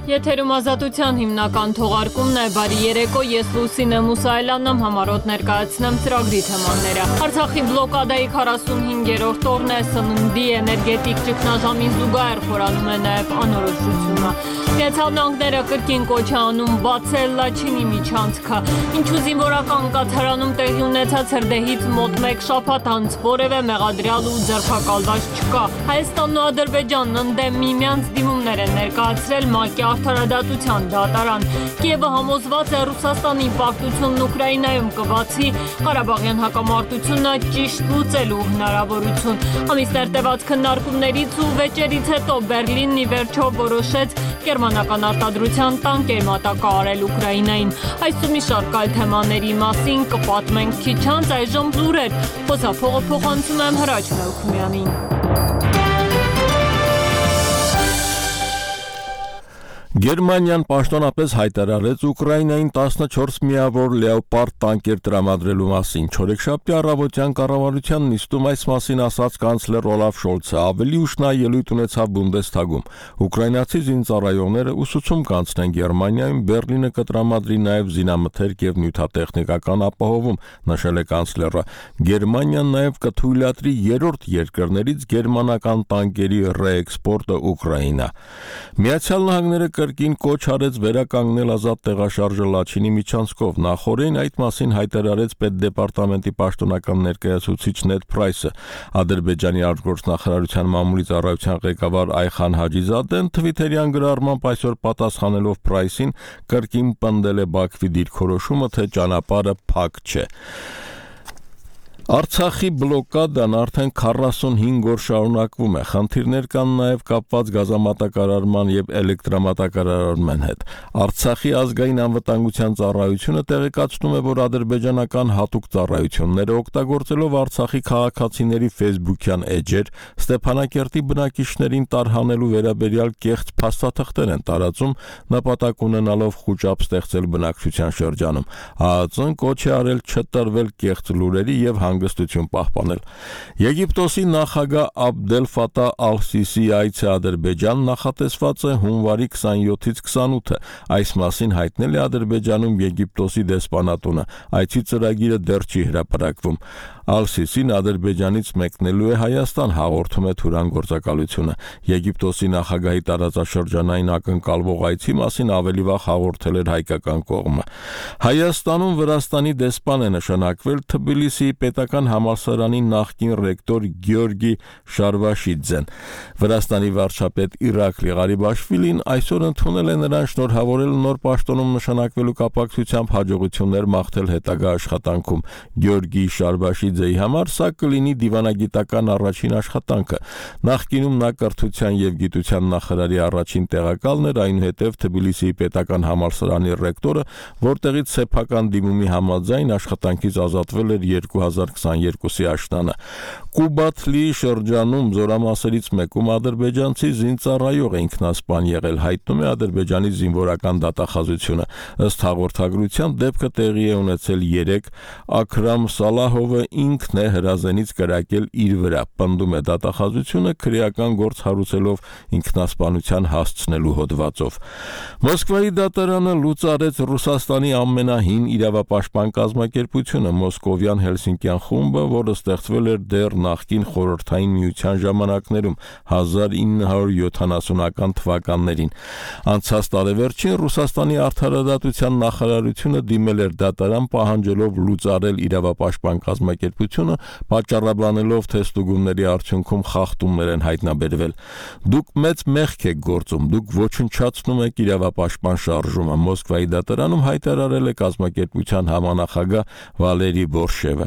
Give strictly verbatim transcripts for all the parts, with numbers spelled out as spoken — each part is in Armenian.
Եթերում ազատության հիմնական թողարկումն է, բարի երեկո, ես Լուսինե Մուսայելյանն եմ, համառոտ ներկայացնեմ ծրագրի թեմաները։ Արցախի բլոկադայի քառասունհինգերորդ օրն է, սննդի էներգետիկ ճգնաժամին զուգահեռ խորանում է նաև անորոշությունը։ Միացյալ Նահանգները կրկին կոչ է անում բացել Լաչինի միջանցքը, ինչու զինվորական կաթարանում տեղի ունեցած հրդեհից մոտ մեկ շաբաթ անց որևէ մեղադրյալ ու ձերբակալված չկա։ Հայաստանն ու Ադրբեջանն ընդդեմ միմյանց դիմումներ են ներկայացրել ՄԱԿ-ի Արդարադատության դատարան։ Կիևը համոզված է Ռուսաստանի պարտությունն Ուկրաինայում կբացի Ղարաբաղյան հակամարտությունը ճիշտ լուծելու հնարավորություն։ Ամիսներ տևած քննարկումներից ու վեճերից հետո Բերլինն ի վերջո որոշեց գերմանական արտադրության տանկեր մատակարարել Ուկրաինային։ Այս ու մի շարք այլ թեմաների մասին կպատմենք քիչ անց, այժմ լուրեր։ Խոսափողը փոխանցում եմ Հրաչ Մելքումյանին։ Գերմանիան պաշտոնապես հայտարարեց Ուկրաինային տասնչորս միավոր լեոպարդ տանկեր տրամադրելու մասին։ Չորեքշաբթի առավոտյան կառավարության նիստում այս մասին ասաց կանցլեր Օլաֆ Շոլցը, ավելի ուշ նա ելույթ ունեցավ Բունդեսթագում։ Ուկրաինացի զինծառայողները ուսուցում կանցնեն Գերմանիայում, Բերլինը կտրամադրի նաև զինամթերք եւ նյութատեխնիկական ապահովում, նշել է կանցլերը։ Գերմանիան նաև կթույլատրի երրորդ երկրներից գերմանական տանկերի ռեէքսպորտը Ուկրաինա։ Միացյալ Նահանգները կրկին կոչ արեց վերականգնել ազատ տեղաշարժը Լաչինի միջանցքով։ Նախորդին այդ մասին հայտարարեց պետդեպարտամենտի պաշտոնական ներկայացուցիչ Նեդ Պրայսը։ Ադրբեջանի արտգործնախարարության մամուլի ծառայության ղեկավար Այխան Հաջիզադեն թվիթերյան գրառմամբ այսօր պատասխանելով Պրայսին կրկին պնդել է Բաքվի դիրքորոշումը, թե ճանապարհը փակ չէ։ Արցախի բլոկադան արդեն քառասունհինգ օր շարունակվում է։ Խնդիրներ կան նաև կապված գազամատակարարման եւ էլեկտրամատակարարման հետ։ Արցախի ազգային անվտանգության ծառայությունը տեղեկացնում է, որ ադրբեջանական հատուկ ծառայությունները օգտագործելով Արցախի քաղաքացիների Facebook-յան էջեր Ստեփանակերտի բնակիչներին տարհանելու վերաբերյալ կեղծ փաստաթղթեր են տարածում, նպատակ ունենալով խուճապ ստեղծել բնակչության շրջանում։ ԱԱԾ-ն կոչ է արել չտրվել կեղծ լուրերի եւ հանգստություն պահպանել։ Եգիպտոսի նախագահ Աբդել Ֆաթահ Ալ-Սիսիի այցը Ադրբեջան նախատեսված է հունվարի քսանյոթից քսանութը։ Այս մասին հայտնել է Ադրբեջանում Եգիպտոսի դեսպանատունը։ Այցի ծրագիրը դեռ չի հրապարակվում։ Ալ-Սիսին Ադրբեջանից մեկնելու է Հայաստան, հաղորդում է Թուրան գործակալությունը։ Եգիպտոսի նախագահի տարածաշրջանային ակնկալվող այցի մասին ավելի վաղ հաղորդել էր հայկական կողմը։ Հայաստանում Վրաստանի դեսպան է նշանակվել Թբիլիսիի պետական համալսարանի նախկին ռեկտոր Գյորգի Շարվաշիձեն։ Վրաստանի վարչապետ Իրակլի Ղարիբաշվիլին այսօր ընդունել է նրան շնորհավորել նոր պաշտոնում նշանակվելու կապակցությամբ հաջողություններ մաղթել հետագա աշխատանքում։ Գյորգի Շարվաշիձեի համար սա կլինի դիվանագիտական առաջին աշխատանքը։ Նախկինում նա կրթության եւ գիտության նախարարի առաջին տեղակալն էր, այնուհետև Թբիլիսիի պետական համալսարանի ռեկտորը, որտեղից սեփական դիմումի համաձայն աշխատանքից ազատվել էր երկու հազար քսաներկուսի աշնանը։ Կուբաթլի շրջանում զորամասերից մեկում ադրբեջանցի զինծառայող է ինքնասպան եղել, հայտնում է Ադրբեջանի զինվորական դատախազությունը։ Ըստ հաղորդագրության դեպքը տեղի է ունեցել երեկ, Աքրամ Սալահովը ինքն է հրազենից կրակել իր վրա, պնդում է դատախազությունը քրեական գործ հարուցելով ինքնասպանության հասցնելու հոդվածով։ Մոսկվայի դատարանը լուծարեց Ռուսաստանի ամենահին իրավապաշտպան կազմակերպությունը Մոսկովյան Հելսինկյան խումբը, որը ստեղծվել էր դեռ նախկին խորհրդային միության ժամանակներում հազար ինը հարյուր յոթանասունական թվականներին։ Անցած տարեվերջին Ռուսաստանի արդարադատության նախարարությունը դիմել էր դատարան պահանջելով լուծարել իրավապաշտպան կազմակերպությունը, պատճառաբանելով, թե ստուգումների արդյունքում խախտումներ են հայտնաբերվել։ Դուք մեծ մեղք եք գործում, դուք ոչնչացնում եք իրավապաշտպան շարժումը, Մոսկվայի դատարանում հայտարարել է կազմակերպության համանախագահ Վալերի Բորշևը։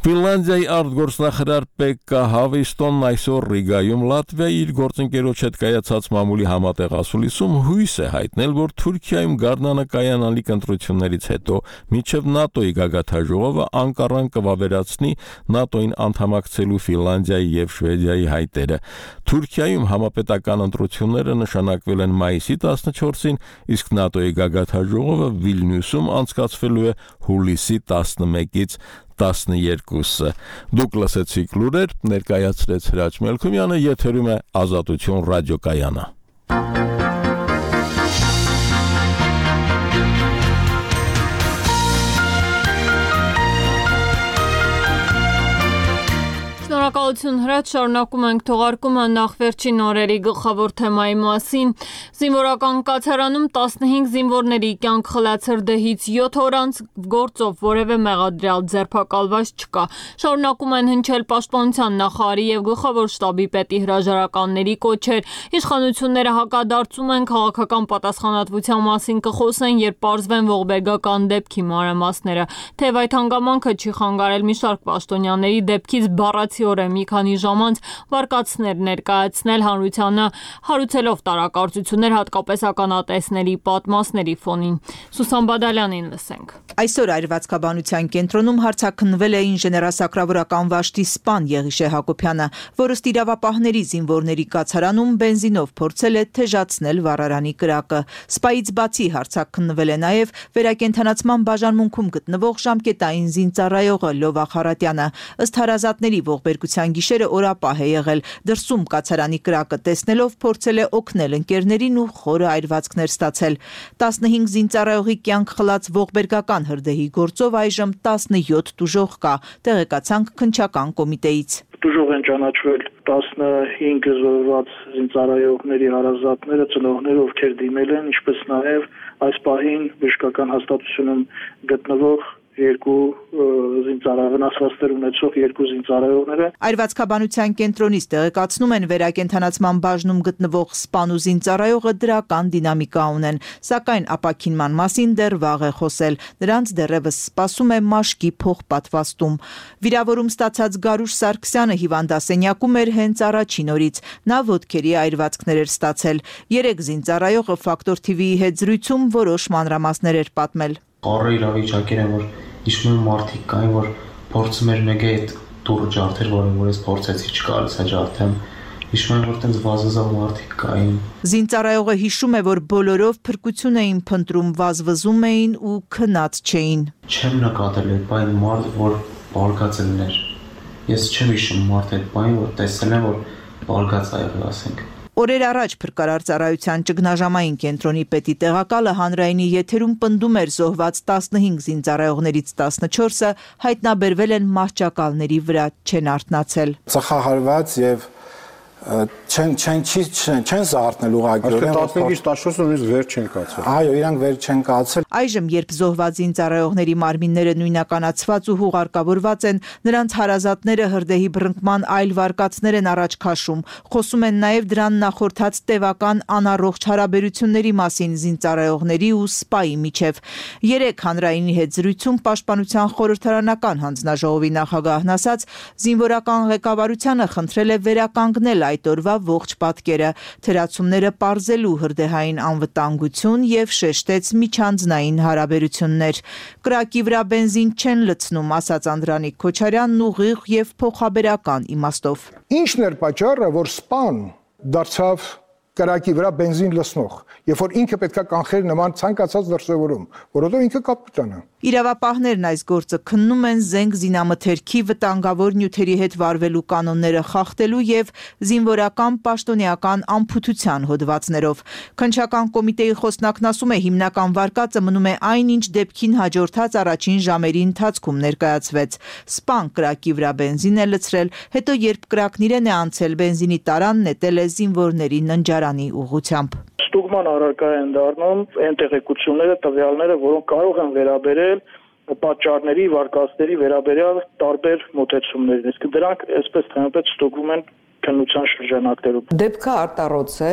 Ֆինլանդիայի արտգործնախարար Պեկկա Հավիստոնն այսօր Ռիգայում Լատվիայի իր գործընկերոջ հետ կայացած մամուլի համատեղ ասուլիսում հույս է հայտնել, որ Թուրքիայում գարնանը կայանալիք ընտրություններից հետո մինչև ՆԱՏՕ-ի գագաթնաժողովը Անկարան կվավերացնի ՆԱՏՕ-ին անդամակցելու Ֆինլանդիայի եւ Շվեդիայի հայտերը։ Թուրքիայում համապետական ընտրությունները նշանակվել են մայիսի տասնչորսին, իսկ ՆԱՏՕ-ի գագաթնաժողովը Վիլնյուսում անցկացվելու է հուլիսի տասնմեկից տասներկուսը։ Դուք լսեցիք լուրեր, ներկայացրեց Հրաչ Մելքումյանը, եթերում է Ազատություն ռադիոկայանը։ Շնորհակալություն Հրաչ, շարունակում ենք թողարկումը նախ վերջին օրերի գլխավոր թեմայի մասին։ Զինվորական կացարանում տասնհինգ զինվորների կյանք խլած հրդեհից յոթ օր անց գործով որևէ մեղադրյալ ձերբակալված չկա։ Շարունակում են հնչել պաշտպանության նախարարի եւ գլխավոր շտաբի պետի հրաժարականների կոչեր։ Իշխանությունները հակադարձում են քաղաքական պատասխանատվության մասին կխոսեն, երբ պարզվեն ողբերգական դեպքի մանրամասները։ Թեև այդ հանգամանքը չի խանգարել մի շարք պաշտոնյաների դեպքից բառացիորեն մի քանի ժամ անց վարկածներ ներկայացնել հանրությանը, հարուցելով տարակարծություններ հատկապես ականատեսների պատմասների ֆոնին։ Սուսան Բադալյանին լսենք։ Այսօր այրվածքաբանության կենտրոնում հարցաքննվել է ինժեներասակրավորական վաշտի սպան Եղիշե Հակոբյանը, որը ստիրավապահների զինվորների կացարանում բենզինով փորձել է թեժացնել վառարանի կրակը։ Սպայից բացի հարցաքննվել է նաև վերակենդանացման բաժանմունքում գտնվող ժամկետային զինծառայողը Լովա Խարատյանը։ Ըստ հարազատների ողբերգության գիշերը օրապահ է եղել։ Դրսում կացարանի կրակը տեսնելով փորձել է օգնել ընկերներին ու խորը այրվածքներ ստացել։ տասնհինգ զինծառայողի կյանք խլած ողբերգական հրդեհի գործով այժմ տասնյոթ տուժող կա, տեղեկացանք քննչական կոմիտեից։ Տուժող են ճանաչվել տասնհինգ զոհված զինծառայողների հարազատները, ծնողները, ովքեր դիմել են, ինչպես նաև այս պահին բժշկական հաստատությունում գտնվող երկու զինծառայողներ ունեցող երկու զինծառայողները։ Այրվածքաբանության կենտրոնից տեղեկացնում են վերակենդանացման բաժնում գտնվող սպան ու զինծառայողը դրական դինամիկա ունեն, սակայն ապաքինման մասին դեռ վաղ է խոսել։ Նրանց դեռևս սպասում է մաշկի փոխպատվաստում։ Վիրավորում ստացած Գարուշ Սարգսյանը հիվանդասենյակում էր հենց առաջին օրից։ Նա ոտքերի այրվածքներ էր ստացել։ Երեք զինծառայողը Ֆակտոր թի վիի հետ զրույցում որոշ մանրամասներ էր պատմել։ Qarը իրավիճակեր են, որ իշմում մարդիկ կային, որ փորձում էր մեկը այդ դուրը ջարդեր, որին որ ես փորձեցի չկարողացա է ջարդեմ, իշմում որ տենց վազվզող մարդիկ կային։ Զինծառայողը հիշում է, որ բոլորով փրկություն էին փնտրում, վազվզում էին ու քնած չէին։ Չեմ նկատել այդ բան մարդ, որ բարգած էր։ Ես չեմ հիշում մարդ այդ բան, որ տեսել եմ, որ բարգած ա եղել, ասենք։ Օրեր առաջ փրկարար ծառայության ճգնաժամային կենտրոնի պետի տեղակալը հանրայինի եթերում պնդում էր զոհված տասնհինգ զինծառայողներից տասնչորսը հայտնաբերվել են մահճակալների վրա, չեն արթնացել։ Ծխահարված եւ չեն չեն չեն զարթնել ուղղակիորեն տասնհինգից տասնչորսը նույնիսկ վեր չեն կացել։ Այո, իրանք վեր չեն կացել։ Այժմ երբ զոհված զինծառայողների մարմինները նույնականացված ու հուղարկավորված են, նրանց հարազատները հրդեհի բռնկման այլ վարկածներ են առաջ քաշում։ Խոսում են նաև դրան նախորդած տևական անառողջ հարաբերությունների մասին զինծառայողների ու սպայի միջև։ Երեք հանրայինի հետ զրույցում պաշտպանության խորհրդարանական հանձնաժողովի նախագահն ասաց, զինվորական ղեկավարությանը խնդրել է վերականգնել այդ օրվա ողջ պատկերը, թերացումները պարզելու հրդեհային անվտանգություն եւ շեշտեց միջանձնային հարաբերություններ։ Կրակի վրա բենզին չեն լցնում, ասաց Անդրանիկ Քոչարյանն ուղիղ եւ փոխաբերական իմաստով։ Ինչն էր պատճառը, որ սպան դարձավ կրակի վրա բենզին լցնող, երբ որ ինքը պետքա կանխեր նման ցանկացած դրսևորում, որովհետեւ ինքը կապիտան է։ Իրավապահներն այս գործը քննում են զենք զինամթերքի վտանգավոր նյութերի հետ վարվելու կանոնները խախտելու եւ զինվորական պաշտոնեական անփութության հոդվածներով։ Քննչական կոմիտեի խոսնակն ասում է, հիմնական վարկածը մնում է այն, ինչ դեպքին հաջորդած առաջին ժամերի ընթացքում ներկայացվեց։ Սպան կրակի վրա բենզին է լցրել, հետո երբ կրակն իրեն է անցել, բենզինի տարան նետել է զինվորների ննջարանի ուղղությամբ։ Ստուգման առարկա են դառնում այն տեղեկությունները, տվյալները, որոնք կարող են վերաբերել պատճառների, վարկածների վերաբերյալ տարբեր մոտեցումներին։ Իսկ դրանք այսպես թե այնպես ստուգվում են քննության շրջանակներում։ Դեպքը արտառոց է,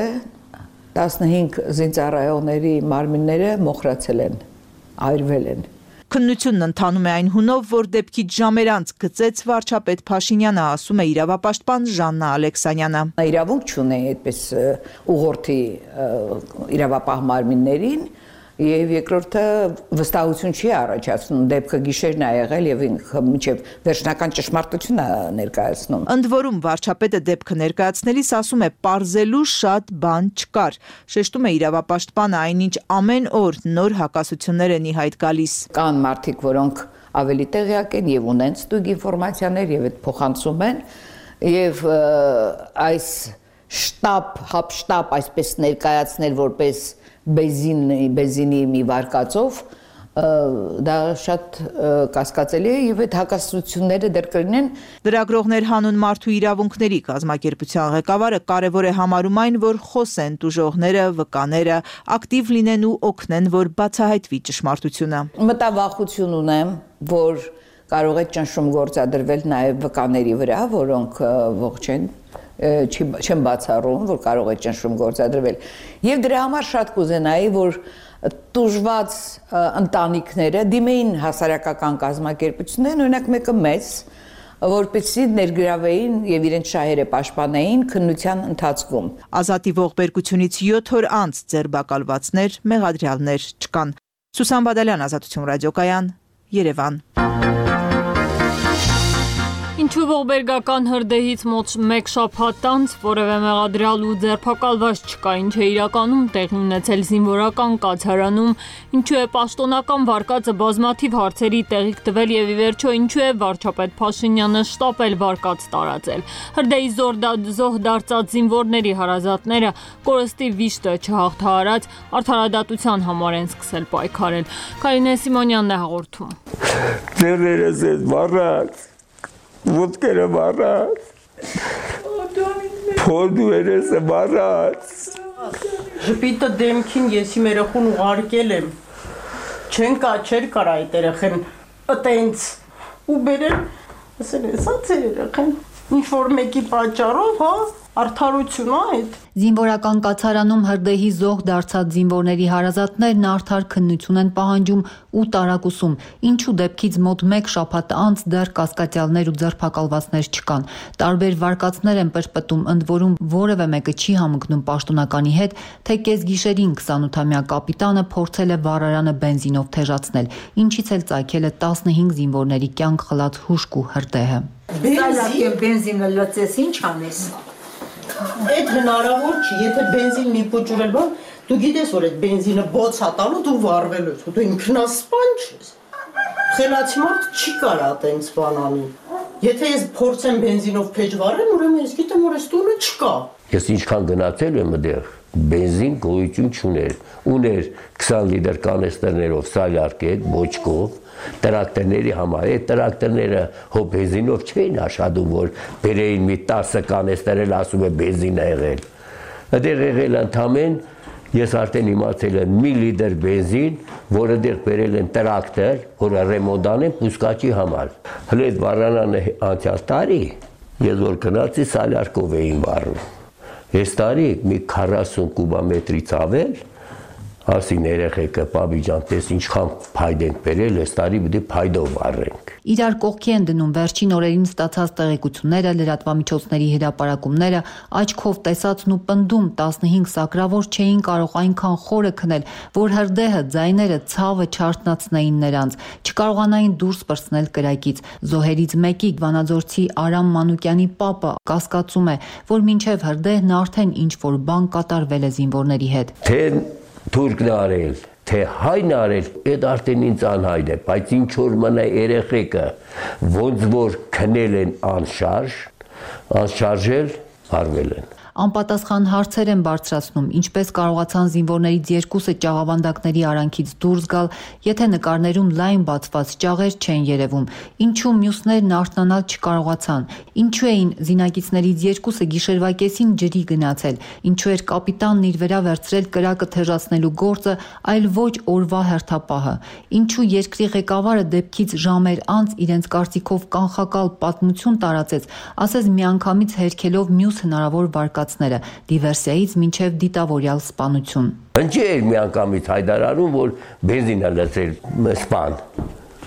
տասնհինգ զինծառայողների մարմինները մոխրացել են, այրվել են։ Քննությունն ընթանում է այն հունով, որ դեպքից ժամեր անց գծեց վարչապետ Փաշինյանը, ասում է իրավապաշտպան Ժաննա Ալեքսանյանը։ Իրավունք չունի այդպես ուղղորդի իրավապահ մարմիններին, եւ երկրորդը վստահություն չի առաջացնում, դեպքը գիշերն է եղել եւ ինքը մինչեւ վերջնական ճշմարտությունը ներկայացնում։ Ընդ որում վարչապետը դեպքը ներկայացնելիս ասում է, պարզելու շատ բան չկար։ Շեշտում է իրավապաշտպանը, այնինչ ամեն օր նոր հակասություններ են ի հայտ գալիս։ Կան մարդիկ, որոնք ավելի տեղյակ են եւ ունեն ստուգ ինֆորմացիաներ եւ այդ փոխանցում են եւ այս շտաբ, հապշտաբ այսպես ներկայացնել որպես բենզին, բենզինի մի վարկածով դա շատ կասկածելի է եւ այդ հակասությունները դեռ կլինեն։ Լրագրողներ հանուն մարդու իրավունքների կազմակերպության ղեկավարը կարևոր է համարում այն, որ խոսեն տուժողները, վկաները, ակտիվ լինեն ու օգնեն, որ բացահայտվի ճշմարտությունը։ Մտավախություն ունեմ, որ կարող է ճնշում գործադրվել նաեւ վկաների վրա, որոնք ողջ են, չեն բացառում, որ կարող է ճնշում գործադրվել։ Եվ դրա համար շատ կուզենայի, որ տուժված ընտանիքները դիմեին հասարակական կազմակերպություններին, օրինակ մեկը մեծ, որպեսզի ներգրավեին եւ իրենց շահերը պաշտպանեին քննության ընթացքում։ Ազատի ողբերգությունից յոթ օր անց ձերբակալվածներ, մեղադրյալներ չկան։ Սուսան Բադալյան, Ազատություն ռադիոկայան, Երևան։ Ինչու ողբերգական հրդեհից մոտ մեկ շաբաթ անց որևէ մեղադրյալ ու ձերբակալված չկա, ինչ է իրականում տեղի ունեցել զինվորական կացարանում, ինչու է պաշտոնական վարկածը բազմաթիվ հարցերի տեղիք տվել եւ ի վերջո ինչու է վարչապետ Փաշինյանը շտապել վարկած տարածել։ Հրդեհի զոհ դարձած զինվորների հարազատները կորստի վիշտը չհաղթահարած արդարադատության համար են սկսել պայքարել։ Կարինե Սիմոնյանն է հաղորդում։ Ձերերս ես վառած Ոտքերը վառած, փորձուերս վառած։ Ժպիտը դեմքին ես իմ երեխուն ուղարկել եմ, չեն կա, չեր կար այդ երեխեն, ըտենց, ու բերել, ասել է, սա ձեր երեխեն, ինչ-որ մեկի պատճառով, հա, արդարություն այդ։ Զինվորական կացարանում հրդեհի զոհ դարձած զինվորների հարազատներն արդար քննություն են պահանջում ու տարակուսում, ինչու դեպքից մոտ մեկ շաբաթ անց դեռ կասկածյալներ ու ձերբակալվածներ չկան։ Տարբեր վարկածներ են պրպտում, ընդ որում որևէ մեկը չի համընկնում պաշտոնականի հետ, թե կեսգիշերին քսանութամյա կապիտանը փորձել է վառարանը բենզինով թեժացնել, ինչից էլ ծագել է տասնհինգ զինվորների կյանք խլած հուշկ ու հրդեհը։ Բենզինը լցես, ինչ անես։ Այդ հնարավոր չի, եթե բենզին մի փոճուրել բան, դու գիտես, որ այդ բենզինը բոց հատալու դու վառվելու ես, դու ինքնասպան չես։ Խելացի մարդ չի կարա այդպես բան անի։ Եթե ես փորձեմ բենզինով փեջ վառել, ուրեմն ես գիտեմ, որ այս տունը չկա։ Ես ինչքան գնացել եմ այդտեղ, բենզին գոյություն չուներ, ուներ քսան լիտր կանեստերներով սալյարկետ, բոճկով, տրակտորների համար, այդ տրակտորները հո բենզինով չէին աշխատում, որ բերեին մի տասը կանեստեր էլ ասում է բենզին է եղել։ Այդտեղ եղել ընդամեն, ես արդեն իմացել եմ մի լիտր բենզին, որը դեռ բերել են տրակտոր, որը ռեմոնտ անեն պուսկաճի համար։ Հələ այդ վառարանը անցյալ տարի, ես որ գնացի սալյարկով էին վառում։ Այս տարի մի քառասուն կուբամետրից ավել, ասին երեխեքը, պապի ջան, տես ինչքան փայդ ենք բերել, այս տարի պետք է փայդով վառենք։ Իրար կողքի են դնում վերջին օրերին ստացած տեղեկությունները, լրատվամիջոցների հրապարակումները, աչքով տեսածն ու պնդում տասնհինգ սակրավոր չէին կարող այնքան խորը քնել, որ հրդեհը, ձայները, ցավը չարթնացնեին նրանց, չկարողանային դուրս պրծնել կրակից։ Զոհերից մեկի Վանաձորցի Արամ Մանուկյանի պապը կասկածում է, որ մինչև հրդեհն արդեն ինչ-որ բան կատարվել է զինվորների հետ։ Թե թուրքն արել, թե հայն արել, այդ արդեն ինձ անհայտ է, բայց ինչ որ մնա երեխեքը, ոնց որ քնել են անշարժ, անշարժել, արվել են։ Անպատասխան հարցեր են բարձրացնում, ինչպես կարողացան զինվորներից երկուսը ճաղավանդակների արանքից դուրս գալ, եթե նկարներում լայն բացված ճաղեր չեն երևում, ինչու մյուսներն արթնանալ չկարողացան, ինչու էին զինակիցներից երկուսը գիշերվա կեսին ջրի գնացել, ինչու էր կապիտանն իր վրա վերցրել կրակը թեժացնելու գործը, այլ ոչ օրվա հերթապահը, ինչու երկրի ղեկավարը դեպքից ժամեր անց իրենց կարծիքով կանխակալ պատմություն տարածեց, ասես միանգամից հերքելով մյուս հնարավոր վարկածները, դիվերսիայից մինչև դիտավորյալ սպանություն։ Ինչի էր միանգամից հայտարարում, որ բենզին է լցրել սպան։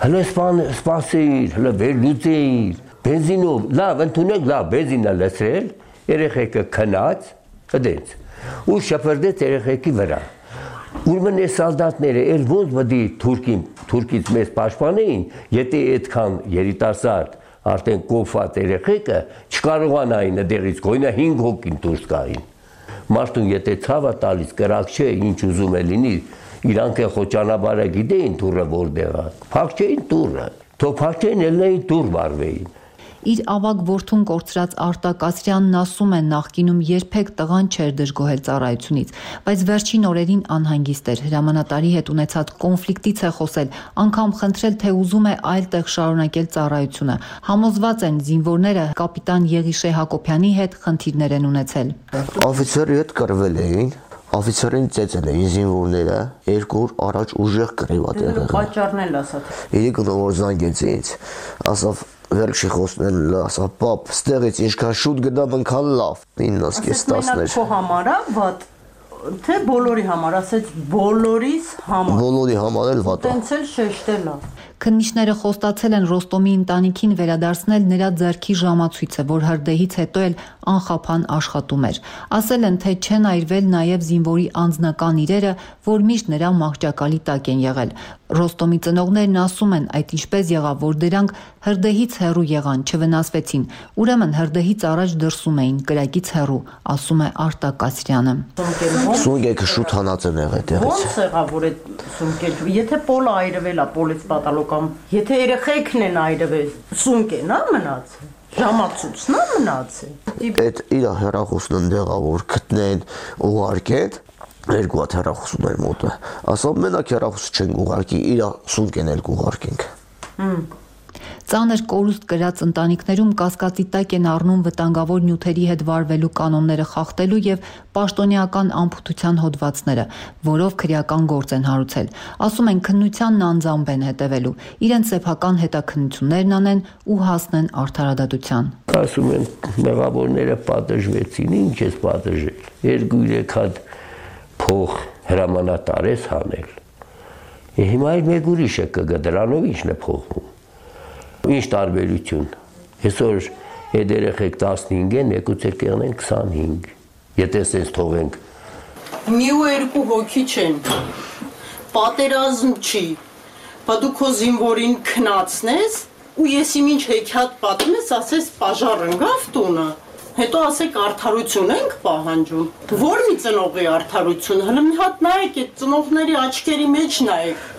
Հələ սպան սպասիր, հələ վերլուծեիր, բենզինով, լավ, ընդունեք, լավ, բենզին է լցրել, երեխեքը քնած, այդպես, ու շփրդեց երեխեքի վրա։ Ուրեմն այս սալդատները էլ ոնց պետք է թուրքին, թուրքից մեզ պաշտպանեին, եթե այդքան երիտասարդ արդեն կոփված երեխեքը չկարողանային այդտեղից գոյնա հինգ հոգին դուրս գային։ Մարդուն եթե ցավը տալիս կրակ չէ, ինչ ուզում է լինի, իրանք է խոճանաբարը գիտեին դուրը որտեղ է։ Փակ չէին դուրը, թող փակ չէին, ելնեին դուր վարվեին։ Իր ավագ որդուն կորցրած Արտակ Ասրյանն ասում է, նախկինում երբեք տղան չէր դժգոհել ծառայությունից, բայց վերջին օրերին անհանգիստ էր, հրամանատարի հետ ունեցած կոնֆլիկտից է խոսել, անգամ խնդրել, թե ուզում է այլ տեղ շարունակել ծառայությունը։ Համոզված են զինվորները կապիտան Եղիշե Հակոբյանի հետ խնդիրներ են ունեցել։ Օֆիցերի հետ կռվել էին, օֆիցերին ծեծել էին զինվորները, երկու օր առաջ ուժեղ կռիվ ա եղել։ Պատճառն էլ ասած։ Երեք օր զանգեց ինձ, ասավ վերջի խոսքն էլ ասա պապ, ստեղից ինչքան շուտ գնամ ընքան լավ, իննս կես տասներ։ Ասես մենակ քո համար ա վատ, թե բոլորի համար, ասեց բոլորիս համար։ Բոլորի համար էլ վատ ա։ Տենց էլ շեշտել ա։ Քննիչները խոստացել են Ռոստոմի ընտանիքին վերադարձնել նրա ձեռքի ժամացույցը, որ հրդեհից հետո էլ անխափան աշխատում էր։ Ասել են, թե չեն այրվել նաև զինվորի անձնական իրերը, որ միշտ նրա մահճակալի տակ են եղել։ Ռոստոմի ծնողներն ասում են, այդ ինչպես եղավ, որ դրանք հրդեհից հեռու եղան, չվնասվեցին։ Ուրեմն հրդեհից առաջ դրսում էին, կրակից հեռու, ասում է Արտակ Ասրյանը։ Սունկեքը շուտ հանած են եղել այդտեղից։ Ոնց եղավ, որ այդ սունկերը, եթե պոլը այրվել ա, պոլից պատալոկամ, եթե երեխեքն են այրվել, սունկեն ա մնացել։ Ժամացույցն ա մնացել։ Այդ իր հեռախոսն ընդեղ ա, որ գտնեն, ուղարկեն, երկու հատ հեռախոսում էր մոտը։ Ասա մենակ հեռախոս չենք ուղարկի, իր սունկեն էլ կուղարկենք։ Ծանր կորուստ կրած ընտանիքներում կասկածի տակ են առնում վտանգավոր նյութերի հետ վարվելու կանոնները խախտելու եւ պաշտոնեական անփութության հոդվածները, որով քրեական գործ են հարուցել։ Ասում են քննությանն անձամբ են հետևելու, իրենց սեփական հետաքննություններն անեն ու հասնեն արդարադատության։ Ասում են մեղավորները պատժվեցին, ինչ ես պատժել։ Երկու-երեք հատ փող հրամանատար ես հանել։ Հիմա այլ մեկ ուրիշը կգա, դրանով ինչն է փոխվում։ Ինչ տարբերություն։ Այսօր այդ երեխեք տասնհինգ են, եկուց էլ կեղնեն քսանհինգ։ Եթե սենց թողենք։ Մի ու երկու հոգի չեն։ Պատերազմ չի։ Բա դու քո զինվորին քնացնես ու ես իմ ինչ հեքիաթ պատմես, ասես պաժար ընկավ տունը։ Հետո ասեք արդարություն ենք պահանջում։ Որ մի ծնողի արդարություն, հələ մի հատ նայեք այդ ծնողների աչքերի մեջ նայեք։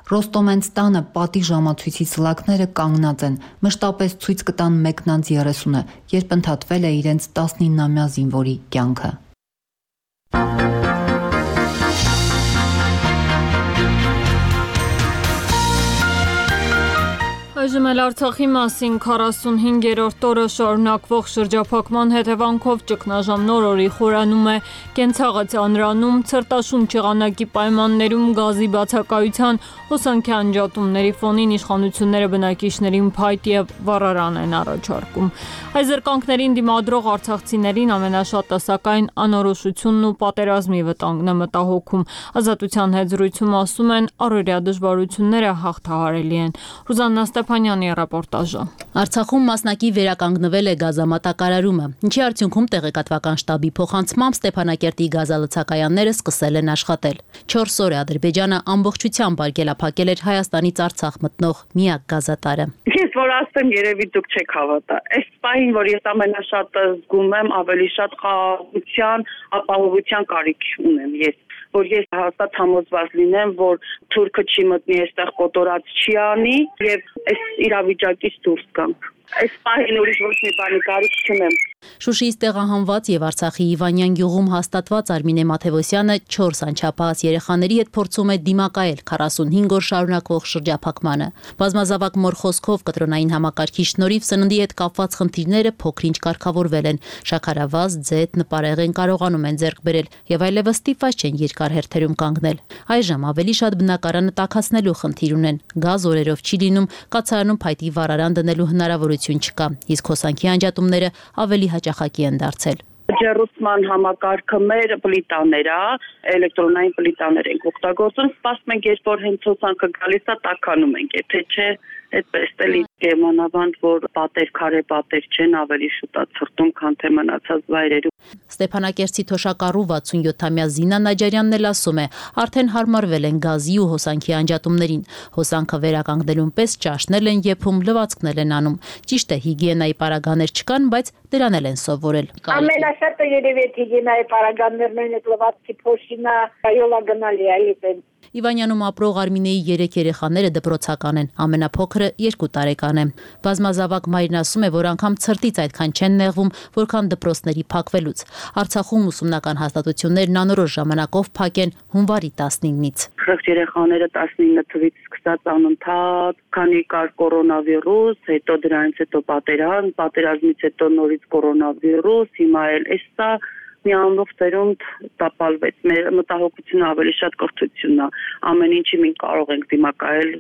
Ռոստոմենց տանը պատի ժամացույցի սլակները կանգնած են, մշտապես ցույց կտան մեկնանց երեսունը, երբ ընդհատվել է իրենց տասնինամյա զինվորի կյանքը։ Այժմ էլ Արցախի մասին քառասունհինգերորդ օրը շարունակվող շրջափակման հետևանքով ճգնաժամ նոր օրի խորանում է Կենցաղը ծանրանում, ցրտաշունչ եղանակի պայմաններում գազի բացակայության հոսանքի անջատումների ֆոնին իշխանությունները բնակիչներին փայտ եւ վառարան են առաջարկում։ Այս զրկանքներին դիմադրող արցախցիներին ամենաշատը սակայն անորոշությունն ու պատերազմի վտանգն է մտահոգում։ Ազատության հետ զրույցում ասում են, առօրյա դժվարությունները հաղթահարելի են։ Ռուզաննա Ստեփանյանի ռեպորտաժը։ Արցախում մասնակի վերականգնվել է գազամատակարարումը, ինչի արդյունքում տեղեկատվական շտաբի փոխանցմամբ Ստեփանակերտի գազալցակայանները սկսել են աշխատել։ չորս օր է Ադրբեջանը ամբողջությամբ արգելափակել էր Հայաստանից Արցախ մտնող միակ գազատարը։ Ես որ ասեմ, երևի դուք չեք հավատա։ Այս պահին, որ ես ամենաշատը զգում եմ, ավելի շատ խաղաղության, ապահովության կարիք ունեմ ես, որ ես հաստատ համոզված լինեմ, որ թուրքը չի մտնի այստեղ կոտորած չի անի եւ այս իրավիճակից դուրս գանք։ Այս պահին ուրիշ ոչ մի բանի կարիք չունեմ։ Շուշիից տեղահանված եւ Արցախի Իվանյան գյուղում հաստատված Արմինե Մաթեոսյանը չորս անչափահաս երեխաների հետ փորձում է դիմակայել քառասունհինգ օր շարունակվող շրջափակմանը։ Բազմազավակ մոր խոսքով կտրոնային համակարգի շնորհիվ սննդի հետ կապված խնդիրները փոքրինչ կարգավորվել են։ Շաքարավազ, ձեթ, նպարեղեն կարողանում են ձեռք բերել եւ այլևս ստիպված չեն երկար հերթերում կանգնել։ Այժմ ավելի շատ բնակարանը տաքացնելու խնդիր ունեն։ Գազ օրերով չի լինում, կացարանում փայտի վառարան դնելու հնարավորություն չկա, իսկ հոսանքի անջատումները ավելի հաճախակի են դարձել։ Ջեռուցման համակարգը մեր պլիտաներ է, էլեկտրոնային պլիտաներ ենք օգտագործում, սպասում ենք, երբ որ հենց հոսանքը գալիս է, տաքանում ենք, եթե չէ, այդպես էլի կեմանավանդ, որ պատեր, քարե պատեր չեն, ավելի շուտ է ցրտում, քան թե մնացած վայրերում։ Ստեփանակերտի թոշակառու վաթսունյոթամյա Զինա Նաջարյանն էլ ասում է, արդեն հարմարվել են գազի ու հոսանքի անջատումներին։ Հոսանքը վերականգնելուն պես ճաշնել են եփում, լվացքնել են անում։ Ճիշտ է, հիգիենայի պարագաներ չկան, բայց դրան էլ են սովորել։ Ամենաշատը երևի հիգիենայի պարագաներն են, լվացքի փոշինա, այոլա գնալի է, այլ Իվանյանում ապրող Արմինեի երեք երեխաները դպրոցական են, ամենափոքրը երկու տարեկան է։ Բազմազավակ մայրն ասում է, որ անգամ ցրտից այդքան չեն նեղվում, որքան դպրոցների փակվելուց։ Արցախում ուսումնական հաստատություններն անորոշ ժամանակով փակ են հունվարի տասնինից։ Խեղճ երեխաները տասնինը թվից սկսած անընդհատ, քանի կար կորոնավիրուս, հետո դրանից հետո պատերազմ, պատերազմից հետո նորից կորոնավիրուս, հիմա էլ էսա մի ամբողջ ծերունդ տապալվեց։ Մեր մտահոգությունը ավելի շատ կրթությունն է։ Ամեն ինչի մենք կարող ենք դիմակայել,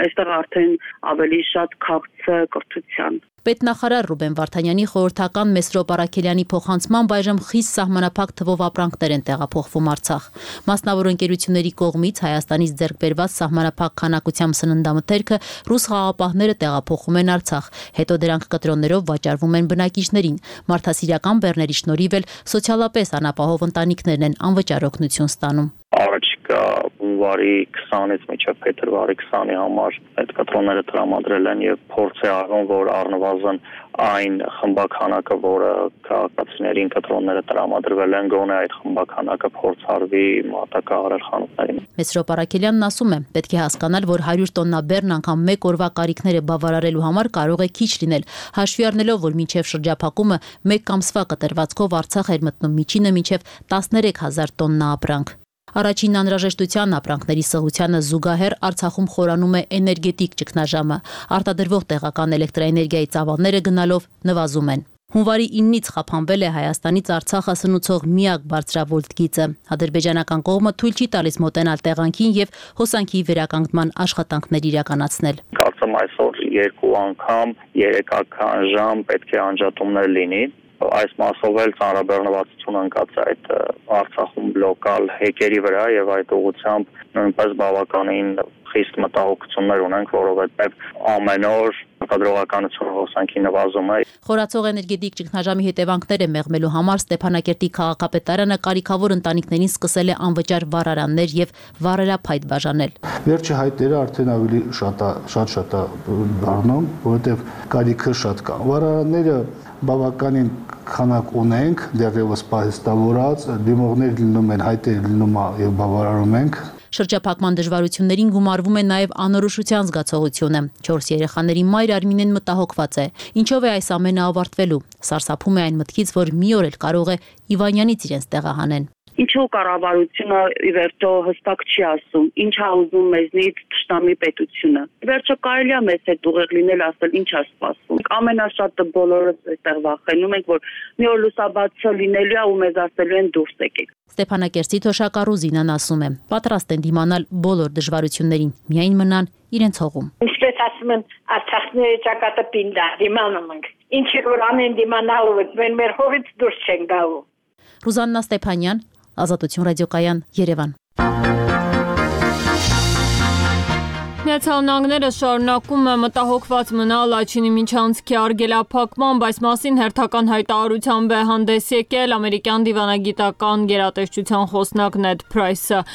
այստեղ արդեն ավելի շատ քաղցը կրթության։ Պետնախարար Ռուբեն Վարդանյանի խորհրդական Մեսրոպ Արաքելյանի փոխանցմամբ այժմ խիստ սահմանափակ թվով ապրանքներ են տեղափոխվում Արցախ։ Մասնավոր ընկերությունների կողմից Հայաստանից ձեռք բերված սահմանափակ քանակությամբ սննդամթերքը ռուս խաղապահները տեղափոխում են Արցախ, հետո դրանք կտրոններով վաճառվում են բնակիչներին։ Մարդասիրական բեռների շնորհիվ էլ սոցիալապես անապահով ընտանիքներն են անվճար օգնություն ստանում։ Առաջիկա հունվարի քսանից մինչև փետրվարի քսանի համար այդ կտրոնները տրամադրել են եւ փորձ է արվում, որ առնվազն այն խմբականակը, որը քաղաքացիներին կտրոնները տրամադրվել են, գոնե այդ խմբականակը փորձարվի մատակարարել խանութներին։ Մեսրոպ Արաքելյանն ասում է, պետք է հասկանալ, որ հարյուր տոննա բեռն անգամ մեկ օրվա կարիքները բավարարելու համար կարող է քիչ լինել, հաշվի առնելով, որ մինչև շրջափակումը մեկ ամսվա կտրվածքով Արցախ էր մտնում միջինը մինչև տասներեք հազար տոննա ապրանք։ Առաջին անհրաժեշտության ապրանքների սղությանը զուգահեռ Արցախում խորանում է էներգետիկ ճգնաժամը։ Արտադրվող տեղական էլեկտրաէներգիայի ծավալները գնալով նվազում են։ Հունվարի իննից խափանվել է Հայաստանից Արցախը սնուցող միակ բարձրավոլտ գիծը։ Ադրբեջանական կողմը թույլ չի տալիս մոտենալ տեղանքին եւ հոսանքի վերականգնման աշխատանքներ իրականացնել։ Կարծեմ այսօր երկու անգամ երեկական ժամ պետք է անջատումներ լինի։ Այս մասով էլ ծանրաբեռնվածություն ընկած է այդ Արցախում լոկալ հեկերի վրա եւ այդ ուղղությամբ նույնպես բավականին խիստ մտահոգություններ ունենք, որովհետեւ ամեն օր արտադրողականությունը հոսանքի նվազում է։ Խորացող էներգետիկ ճգնաժամի հետևանքները մեղմելու համար Ստեփանակերտի քաղաքապետարանը կարիքավոր ընտանիքներին սկսել է անվճար վառարաններ եւ վառելափայտ բաժանել։ Վերջի հայտերը արդեն ավելի շատ շատ շատ դառնում, որովհետեւ կարիքը շատ կա։ Վառարանները բավականին քանակ ունենք, դեռևս պահեստավորած, դիմողներ լինում են, հայտեր լինում եւ բավարարում ենք։ Շրջափակման դժվարություններին գումարվում է նաև անորոշության զգացողությունը։ Չորս երեխաների մայր Արմինեն մտահոգված է։ Ինչով է այս ամենը ավարտվելու։ Սարսափում է այն մտքից, որ մի օր էլ կարող է Իվանյանից իրենց տեղահանեն։ Ինչու կառավարությունը ի վերջո հստակ չի ասում, ինչ է ուզում մեզնից ճշտամի պետությունը։ Ի վերջո կարելի է մեզ հետ ուղեղ լինել, ասել ինչ է սպասում։ Ամենաշատը բոլորս այստեղ վախենում ենք, որ մի օր լուսաբացը լինելու է ու մեզ ասելու են դուրս եկեք։ Ստեփանակերտի թոշակառու Զինան ասում է, պատրաստ են դիմանալ բոլոր դժվարություններին, միայն մնան իրենց հողում։ Ինչպես ասում են, Արցախների ճակատը պինդ է, դիմանում ենք։ Ինչի որ անեն դիմանալու եք, մենք մեր հողից դուրս չենք գալու։ Ռուզաննա Ստեփանյան, Ազատություն ռադիոկայան, Երևան։ Միացյալ Նահանգները շարունակում է մտահոգված մնալ Լաչինի միջանցքի արգելափակման, բայց մասին հերթական հայտարարությամբ է հանդես եկել ամերիկյան դիվանագիտական գերատեսչության խոսնակ Նեդ Փրայսը։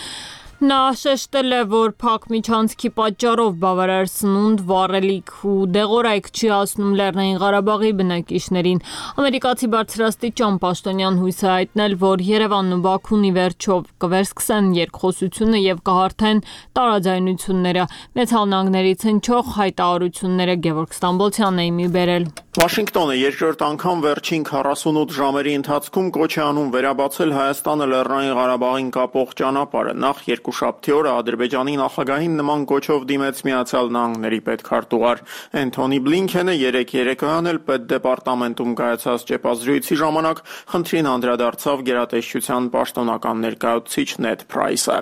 Նա շեշտել է, որ փակ միջանցքի պատճառով բավարար սնունդ, վառելիք ու դեղորայք չի հասնում Լեռնային Ղարաբաղի բնակիչներին։ Ամերիկացի բարձրաստիճան պաշտոնյան հույս է հայտնել, որ Երևանն ու Բաքուն ի վերջո կվերսկսեն երկխոսությունը եւ կհարթեն տարաձայնությունները։ Միացյալ Նահանգներից հնչող հայտարարությունները Գևորգ Ստամբոլցյանն է մի բերել։ Վաշինգտոնը երկրորդ անգամ վերջին քառասունութ ժամերի ընթացքում կոչ է անում վերաբացել Հայաստանը Լեռնային Ղարաբաղին կապող ճանապարհը։ Նախ երկուշաբթի օրը Ադրբեջանի նախագահին նման կոչով դիմեց Միացյալ Նահանգների պետքարտուղար Էնթոնի Բլինքենը երեկ երեկոյան էլ պետդեպարտամենտում կայացած ճեպազրույցի ժամանակ խնդրին անդրադարձավ գերատեսչության պաշտոնական ներկայացուցիչ Նեդ Փրայսը։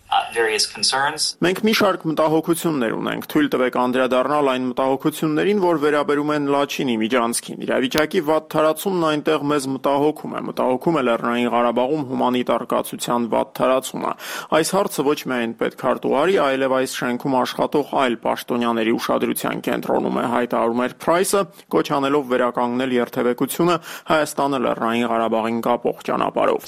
Մենք մի շարք մտահոգություններ ունենք, թույլ տվեք անդրադառնալ այն մտահոգություններին, որ վերաբերում են Լաչինի միջանցքին։ Իրավիճակի վատ թարացումն այնտեղ մեզ մտահոգում է, մտահոգում է Լեռնային Ղարաբաղում հումանիտար կացության վատ թարացումը։ Այս հարցը ոչ միայն պետքարտուղարի, այլև այս շենքում աշխատող այլ պաշտոնյաների ուշադրության կենտրոնում է, հայտարարում էր Փրայսը, կոչ անելով վերականգնել երթևեկությունը Հայաստանը Լեռնային Ղարաբաղին կապող ճանապարհով։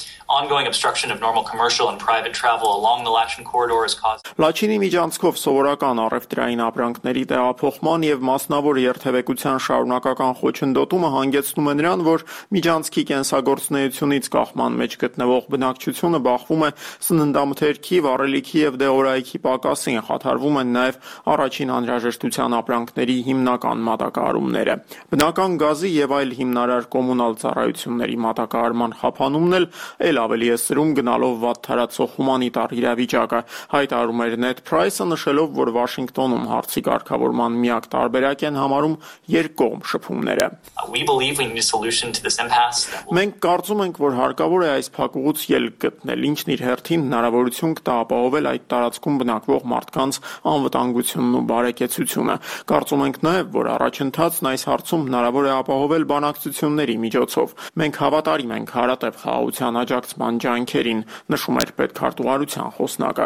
Լաչինի միջանցքով սովորական առևտրային ապրանքների տեղափոխման եւ մասնավոր երթևեկության շարունակական խոչընդոտումը հանգեցնում է նրան, որ միջանցքի կենսագործունեությունից կախման մեջ գտնվող բնակչությունը բախվում է սննդամթերքի, վառելիքի եւ դեղորայքի պակասին, խաթարվում են նաեւ առաջին անհրաժեշտության ապրանքների հիմնական մատակարարումները։ Բնական գազի եւ այլ հիմնարար կոմունալ ծառայությունների մատակարարման խափանումն էլ ել ավելի է սրում գնալով վատ թարացող հումանիտար իրավիճակը, հայտարարում էր Ned Price-ը, նշելով, որ Վաշինգտոնում հարցի կարգավորման միակ տարբերակ են համարում երկկողմ շփումները։ Մենք կարծում ենք, որ հարկավոր է այս փակուղուց ելք գտնել, ինչն իր հերթին հնարավորություն կտա ապահովել այդ տարածքում բնակվող մարդկանց անվտանգությունն ու բարեկեցությունը։ Կարծում ենք նաև, որ առաջընթացն այս հարցում հնարավոր է ապահովել բանակցությունների միջոցով։ Մենք հավատարիմ ենք հարատև խաղաղության աջակցման ջանքերին, նշում էր պետքարտուղարության խոսնակը։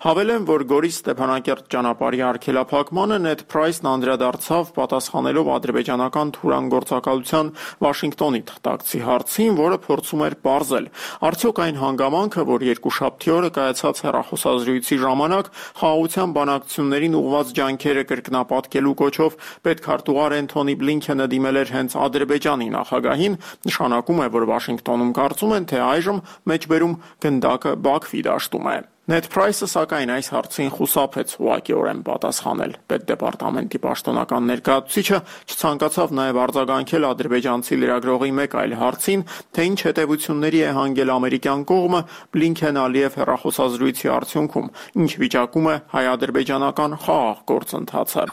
Հավելեմ, որ Գորիս Ստեփանակերտ ճանապարհի արգելափակմանը Ned Price-ն անդրադարձավ պատասխանելով ադրբեջանական թուրանգործակալության Վաշինգտոնի թղթակցի հարցին, որը փորձում էր պարզել, արդյոք այն հանգամանքը, որ երկուշաբթի օրը կայացած հեռախոսազրույցի ժամանակ խաղաղության բանակցություններին ուղղված ջանքերը կրկնապատկելու կոչով պետքարտուղար Էնթոնի Բլինքենը դիմել էր հենց Ադրբեջանի նախագահին, նշանակում է, որ Վաշինգտոնում կարծում են, թե այժմ մեջբերում գնդակը Բաքվի դաշտում է։ Ned Price-ը սակայն այս հարցին խուսափեց ուղղակիորեն պատասխանել։ Պետդեպարտամենտի պաշտոնական ներկայացուցիչը չցանկացավ նաև արձագանքել ադրբեջանցի լրագրողի մեկ այլ հարցին, թե ինչ հետևությունների է հանգել ամերիկյան կողմը Բլինքեն-Ալիև հեռախոսազրույցի արդյունքում, ինչ վիճակում է հայ-ադրբեջանական խաղաղ գործընթացը։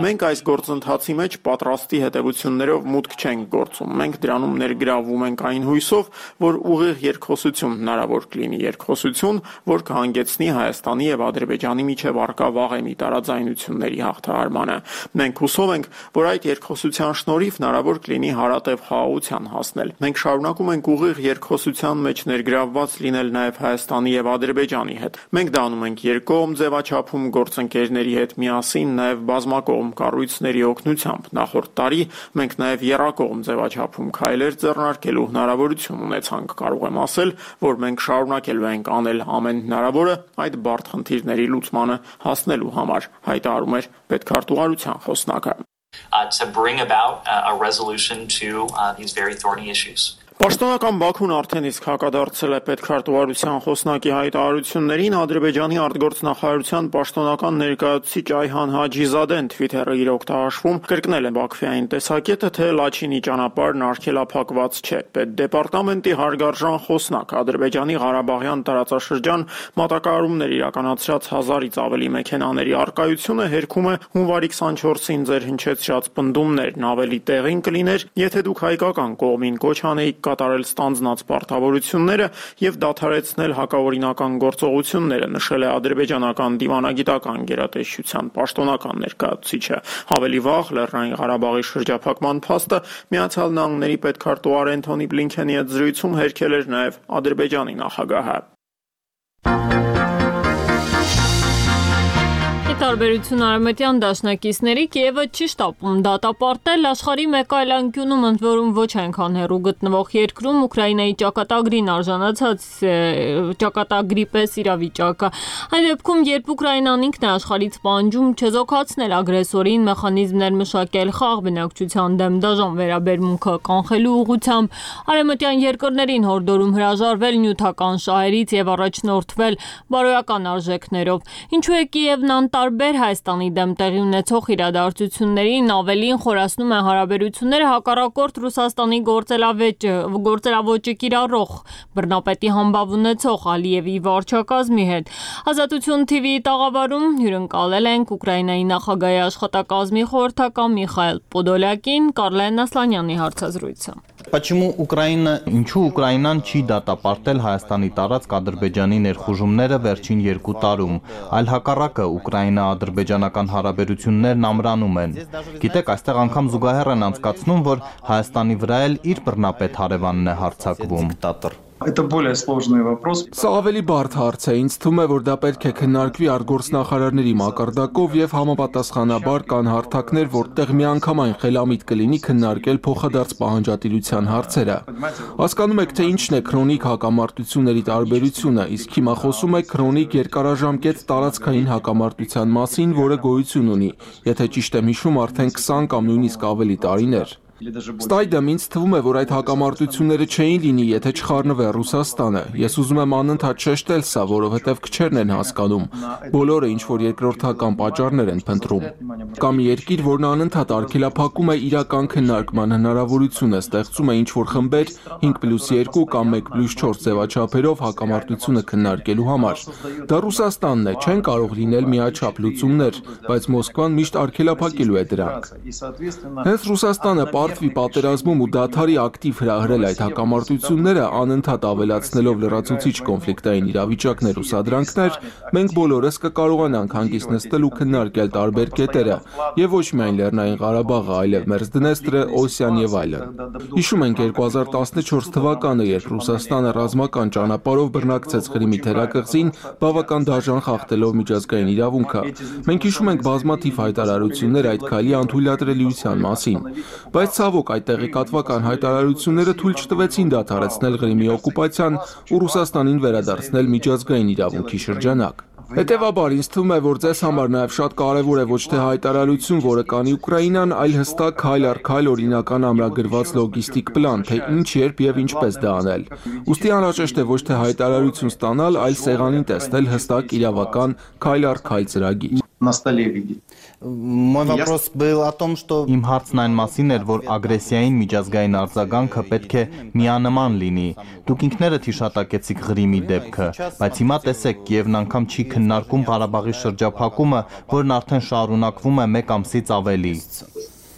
Մենք այս գործընթացի մեջ պատրաստի հետևություններով մուտք չենք գործում։ Մենք դրանում ներգրավվում ենք այն հույսով, որ ուղիղ երկխոսություն հնարավոր կլինի, երկխոսություն, որ կհանգեցնի Հայաստանի եւ Ադրբեջանի միջև առկա վաղեմի տարաձայնությունների հաղթահարմանը։ Մենք հուսով ենք, որ այդ երկխոսության շնորհիվ հնարավոր կլինի հարատև խաղաղության հասնել։ Մենք շարունակում ենք ուղիղ երկխոսության մեջ ներգրավված լինել նաեւ Հայաստանի եւ Ադրբեջանի հետ։ Մենք դա անում ենք երկկողմ ձևաչափում գործընկերների հետ միասին, նաեւ բազմակողմ կառույցների օգնությամբ։ Նախորդ տարի մենք նաեւ եռակողմ ձևաչափում քայլեր ձեռնարկելու հնարավորություն ունեցանք։ Կարող եմ ասել, որ մենք շարունակել ենք անել ամեն հնարավորը այդ բարդ խնդիրների լուծմանը հասնելու համար, հայտարարում էր պետքարտուղարության խոսնակը։ To bring about a resolution to uh, these very thorny issues. Պաշտոնական Բաքուն արդեն իսկ հակադարձել է պետքարտուղարության խոսնակի հայտարարություններին, Ադրբեջանի արտգործնախարարության պաշտոնական ներկայացուցիչ Այհան Հաջիզադեն Twitter-ը իր օգտահաշվում կրկնել է Բաքվային տեսակետը, թե Լաչինի ճանապարհն արգելափակված չէ։ Պետդեպարտամենտի հարգարժան խոսնակ Ադրբեջանի Ղարաբաղյան տարածաշրջան մատակարարումներ իրականացրած հազարից ավելի մեքենաների առկայությունը հերքում է հունվարի քսանչորսին ձեր հնչեցրած պնդումներն, ավելի տեղին կլիներ, եթե դուք հայկական կողմին կոչ անեիք կատարել ստանձնած պարտավորությունները եւ դադարեցնել հակաօրինական գործողությունները, նշել է ադրբեջանական դիվանագիտական գերատեսչության պաշտոնական ներկայացուցիչը։ Ավելի վաղ Լեռնային Ղարաբաղի շրջափակման փաստը Միացյալ Նահանգների պետքարտուղար Էնթոնի Բլինքենի հետ զրույցում հերքել էր նաեւ Ադրբեջանի նախագահը։ Տարբերություն արևմտյան դաշնակիցների Կիևը չի շտապում դատապարտել աշխարհի մեկ այլ անկյունում, ընդ որում ոչ այնքան հեռու գտնվող երկրում Ուկրաինայի ճակատագրին արժանացած ճակատագրի պես իրավիճակը։ Այն դեպքում, երբ Ուկրաինան ինքն է աշխարհից պահանջում չեզոքացնել ագրեսորին, մեխանիզմներ մշակել խաղ բնակչության դեմ դաժան վերաբերմունքը կանխելու ուղղությամբ, արևմտյան երկրներին հորդորում հրաժարվել նյութական շահերից եւ առաջնորդվել բարոյական արժեքներով։ Ինչու է Կիևն անտարբեր Հայաստանի դեմ տեղի ունեցող իրադարձություններին, ավելին խորացնում է հարաբերությունները հակառակորդ Ռուսաստանի գործելավեճը, գործելավոճը կիրառող բռնապետի համբավ ունեցող Ալիևի վարչակազմի հետ։ Ազատություն թի վիի տաղավարում հյուրընկալել ենք Ուկրաինայի նախագահի աշխատակազմի խորհրդական Միխայել Պոդոլյակին, Կարլեն Ասլանյանի հարցազրույցը։ Почему Украина, ինչու Ուկրաինան չի դատապարտել Հայաստանի տարածք Ադրբեջանի ներխուժումները վերջին երկու տարում, այլ հակառակը Ուկրաինա-ադրբեջանական հարաբերություններն ամրանում են։ Գիտեք, այստեղ անգամ զուգահեռ են անցկացնում, որ Հայաստանի վրա էլ իր բռնապետ հարևանն է հարձակվում։ Это более сложный вопрос. Սա ավելի բարդ հարց է, ինձ թվում է, որ դա պետք է քննարկվի արտգործնախարարների մակարդակով եւ համապատասխանաբար կան հարթակներ, որտեղ միանգամայն խելամիտ կլինի քննարկել փոխադարձ պահանջատիրության հարցերը։ Հասկանում եք, թե ինչն է քրոնիկ հակամարտությունների տարբերությունը, իսկ հիմա խոսում եք քրոնիկ երկարաժամկետ տարածքային հակամարտության մասին, որը գոյություն ունի, եթե ճիշտ եմ հիշում, արդեն քսան կամ նույնիսկ ավելի տարիներ։ Ստայդեմ ինձ թվում է, որ այդ հակամարտությունները չէին լինի, եթե չխառնվեր Ռուսաստանը։ Ես ուզում եմ անընդհատ շեշտել սա, որովհետև քչերն են հասկանում։ Բոլորը ինչ որ երկրորդական պատճառներ են փնտրում։ Կամ երկիր, որն անընդհատ արգելափակում է իրական քննարկման հնարավորությունը, ստեղծում է ինչ որ խմբեր հինգ պլյուս երկու կամ մեկ պլյուս չորս ձևաչափերով հակամարտությունը քննարկելու համար։ Դա Ռուսաստանն է, չեն կարող լինել միաչափ լուծումներ, բայց Մոսկվան միշտ արգելափակելու է դրանք։ Հենց Ռուսաստանը Պարտվի պատերազմում ու դադարի ակտիվ հրահրել այդ հակամարտությունները, անընդհատ ավելացնելով լրացուցիչ կոնֆլիկտային իրավիճակներ ու սադրանքներ, մենք բոլորս կկարողանանք հանգիստ նստել ու քննարկել տարբեր կետերը, եւ ոչ միայն Լեռնային Ղարաբաղը, այլև Մերձդնեստրը, Օսիան եւ այլն։ Հիշում ենք երկու հազար տասնչորս թվականը, երբ Ռուսաստանը ռազմական ճանապարհով բռնակցեց Ղրիմի թերակղզին, բավական դաժան խախտելով միջազգային իրավունքը։ Մենք հիշում ենք բազմաթիվ հայտարարություններ այդ քայլի անթույլատրելիության մասին, բայց ցավոք այդ տեղեկատվական հայտարարությունները թույլ չտվեցին դադարեցնել Ղրիմի օկուպացիան ու Ռուսաստանին վերադարձնել միջազգային իրավունքի շրջանակ։ Հետևաբար ինձ թվում է, որ ձեզ համար նաև շատ կարևոր է ոչ թե հայտարարություն, որը կանի Ուկրաինան, այլ հստակ քայլ առ քայլ օրինական ամրագրված լոգիստիկ պլան, թե ինչ, երբ եւ ինչպես դա անել։ Ուստի անհրաժեշտ է ոչ թե հայտարարություն ստանալ, այլ սեղանին տեսնել հստակ իրավական քայլ առ քայլ ծրագիր։ Мой вопрос был о том, что Իմ հարցն այն մասին էր, որ ագրեսիային միջազգային արձագանքը պետք է միանման լինի։ Դուք ինքներդ հիշատակեցիք Ղրիմի դեպքը, բայց հիմա տեսեք, Կիևն անգամ չի քննարկում Ղարաբաղի շրջափակումը, որն արդեն շարունակվում է մեկ ամսից ավելի։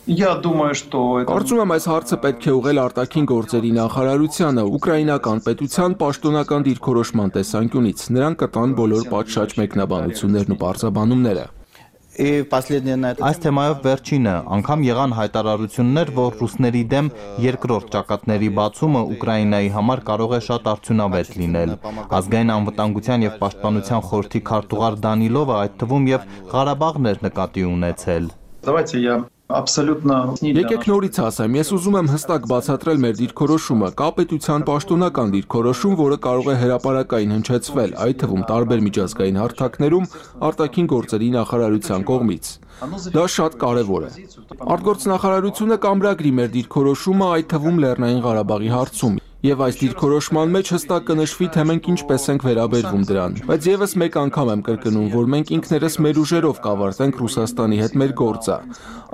Կարծում եմ այս հարցը պետք է ուղղել արտաքին գործերի նախարարությանը, ուկրաինական պետության պաշտոնական դիրքորոշման տեսանկյունից։ Նրանք կտան բոլոր պատշաճ մեկնաբանություններն ու պարզաբանումները։ Այս թեմայով վերջինը, անգամ եղան հայտարարություններ, որ ռուսների դեմ երկրորդ ճակատների բացումը Ուկրաինայի համար կարող է շատ արդյունավետ լինել։ Ազգային անվտանգության եւ պաշտպանության խորհրդի քարտուղար Դանիլովը այդ թվում եւ Ղարաբաղն էր նկատի ունեցել։ Եկեք նորից ասեմ, ես ուզում եմ հստակ բացատրել մեր դիրքորոշումը, կա պետության պաշտոնական դիրքորոշում, որը կարող է հրապարակային հնչեցվել, այդ թվում տարբեր միջազգային հարթակներում արտաքին գործերի նախարարության կողմից։ Դա շատ կարևոր է։ Արտգործնախարարությունը կամրագրի մեր դիրքորոշումը, այդ թվում Լեռնային Ղարաբաղի հարցում։ Եվ այս դիրքորոշման մեջ հստակ կնշվի, թե մենք ինչպես ենք վերաբերվում դրան։ Բայց եւս մեկ անգամ եմ կրկնում, որ մենք ինքներս մեր ուժերով կավարտենք Ռուսաստանի հետ մեր գործը։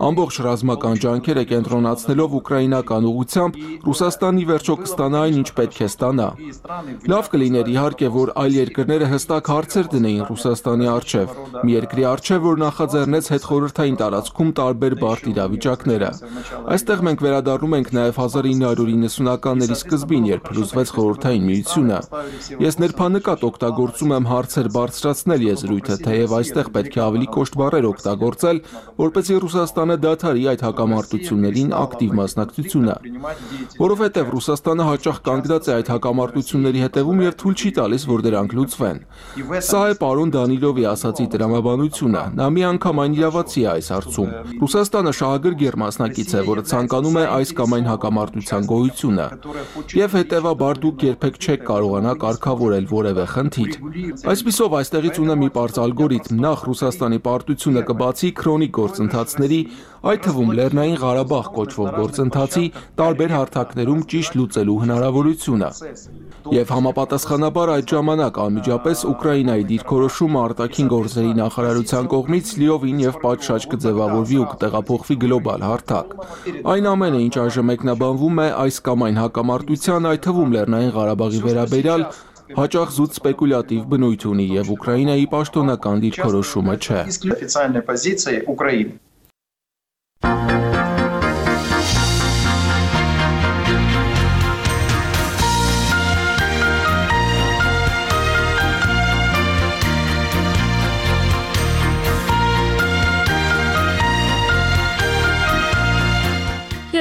Ամբողջ ռազմական ջանքերը կենտրոնացնելով ուկրաինական ուղղությամբ Ռուսաստանի վերջո կստանա այն, ինչ պետք է ստանա։ Լավ կլիներ իհարկե, որ այլ երկրները հստակ հարցեր դնեին Ռուսաստանի առջև, մի երկրի առջև, որ նախաձեռնեց հետխորհրդային տարածքում տարբեր բարդ իրավիճակները։ Այստեղ մենք վերադառնում ենք նաեւ հազար ինը հարյուր իննսունականների սկզբին, երբ փլուզվեց խորհրդային միությունը։ Ես ներբանեկատ օգտագործում եմ հարցեր բարձրացնել եզրույթը, թեև այստեղ պետք է ավելի կոշտ բառեր օգտագործել, որպեսզի Ռուսաստանը դադարի այդ հակամարտություններին ակտիվ մասնակցությունը։ Որովհետև Ռուսաստանը հաճախ կանգնած է այդ հակամարտությունների հետևում եւ թույլ չի տալիս, որ դրանք լուծվեն։ Սա է պարոն Դանիլովի ասացի տրամաբանությունը։ Նա մի անգամ այն իրավացի է այս հարցում։ Ռուսաստանը շահագրգիռ մասնակից է, որը ցանկանում է այս կամ այն հակամարտության գոյությունը։ Եվ հետևաբար դուք երբեք չեք կարողանա կարգավորել որևէ խնդիր։ Այսպիսով այստեղից ունեմ մի պարզ ալգորիթմ, նախ Ռուսաստանի պարտությունը կբացի քրոնիկ գործընթացների, այդ թվում Լեռնային Ղարաբաղ կոչվող գործընթացի տարբեր հարթակներում ճիշտ լուծելու հնարավորությունը։ Եվ համապատասխանաբար այդ ժամանակ անմիջապես Ուկրաինայի դիրքորոշումը արտաքին գործերի նախարարության կողմից լիովին եւ պատշաճ կձևավորվի ու կտեղափոխվի գլոբալ հարթակ։ Այն ամենը, ինչ այժմ մեկնաբանվում է այս կամ այն հակամարտության, այդ թվում Լեռնային Ղարաբաղի վերաբերյալ, հաճախ զուտ սպեկուլյատիվ բնույթ ունի եւ Ուկրաինայի պաշտոնական դիրքորոշումը չէ։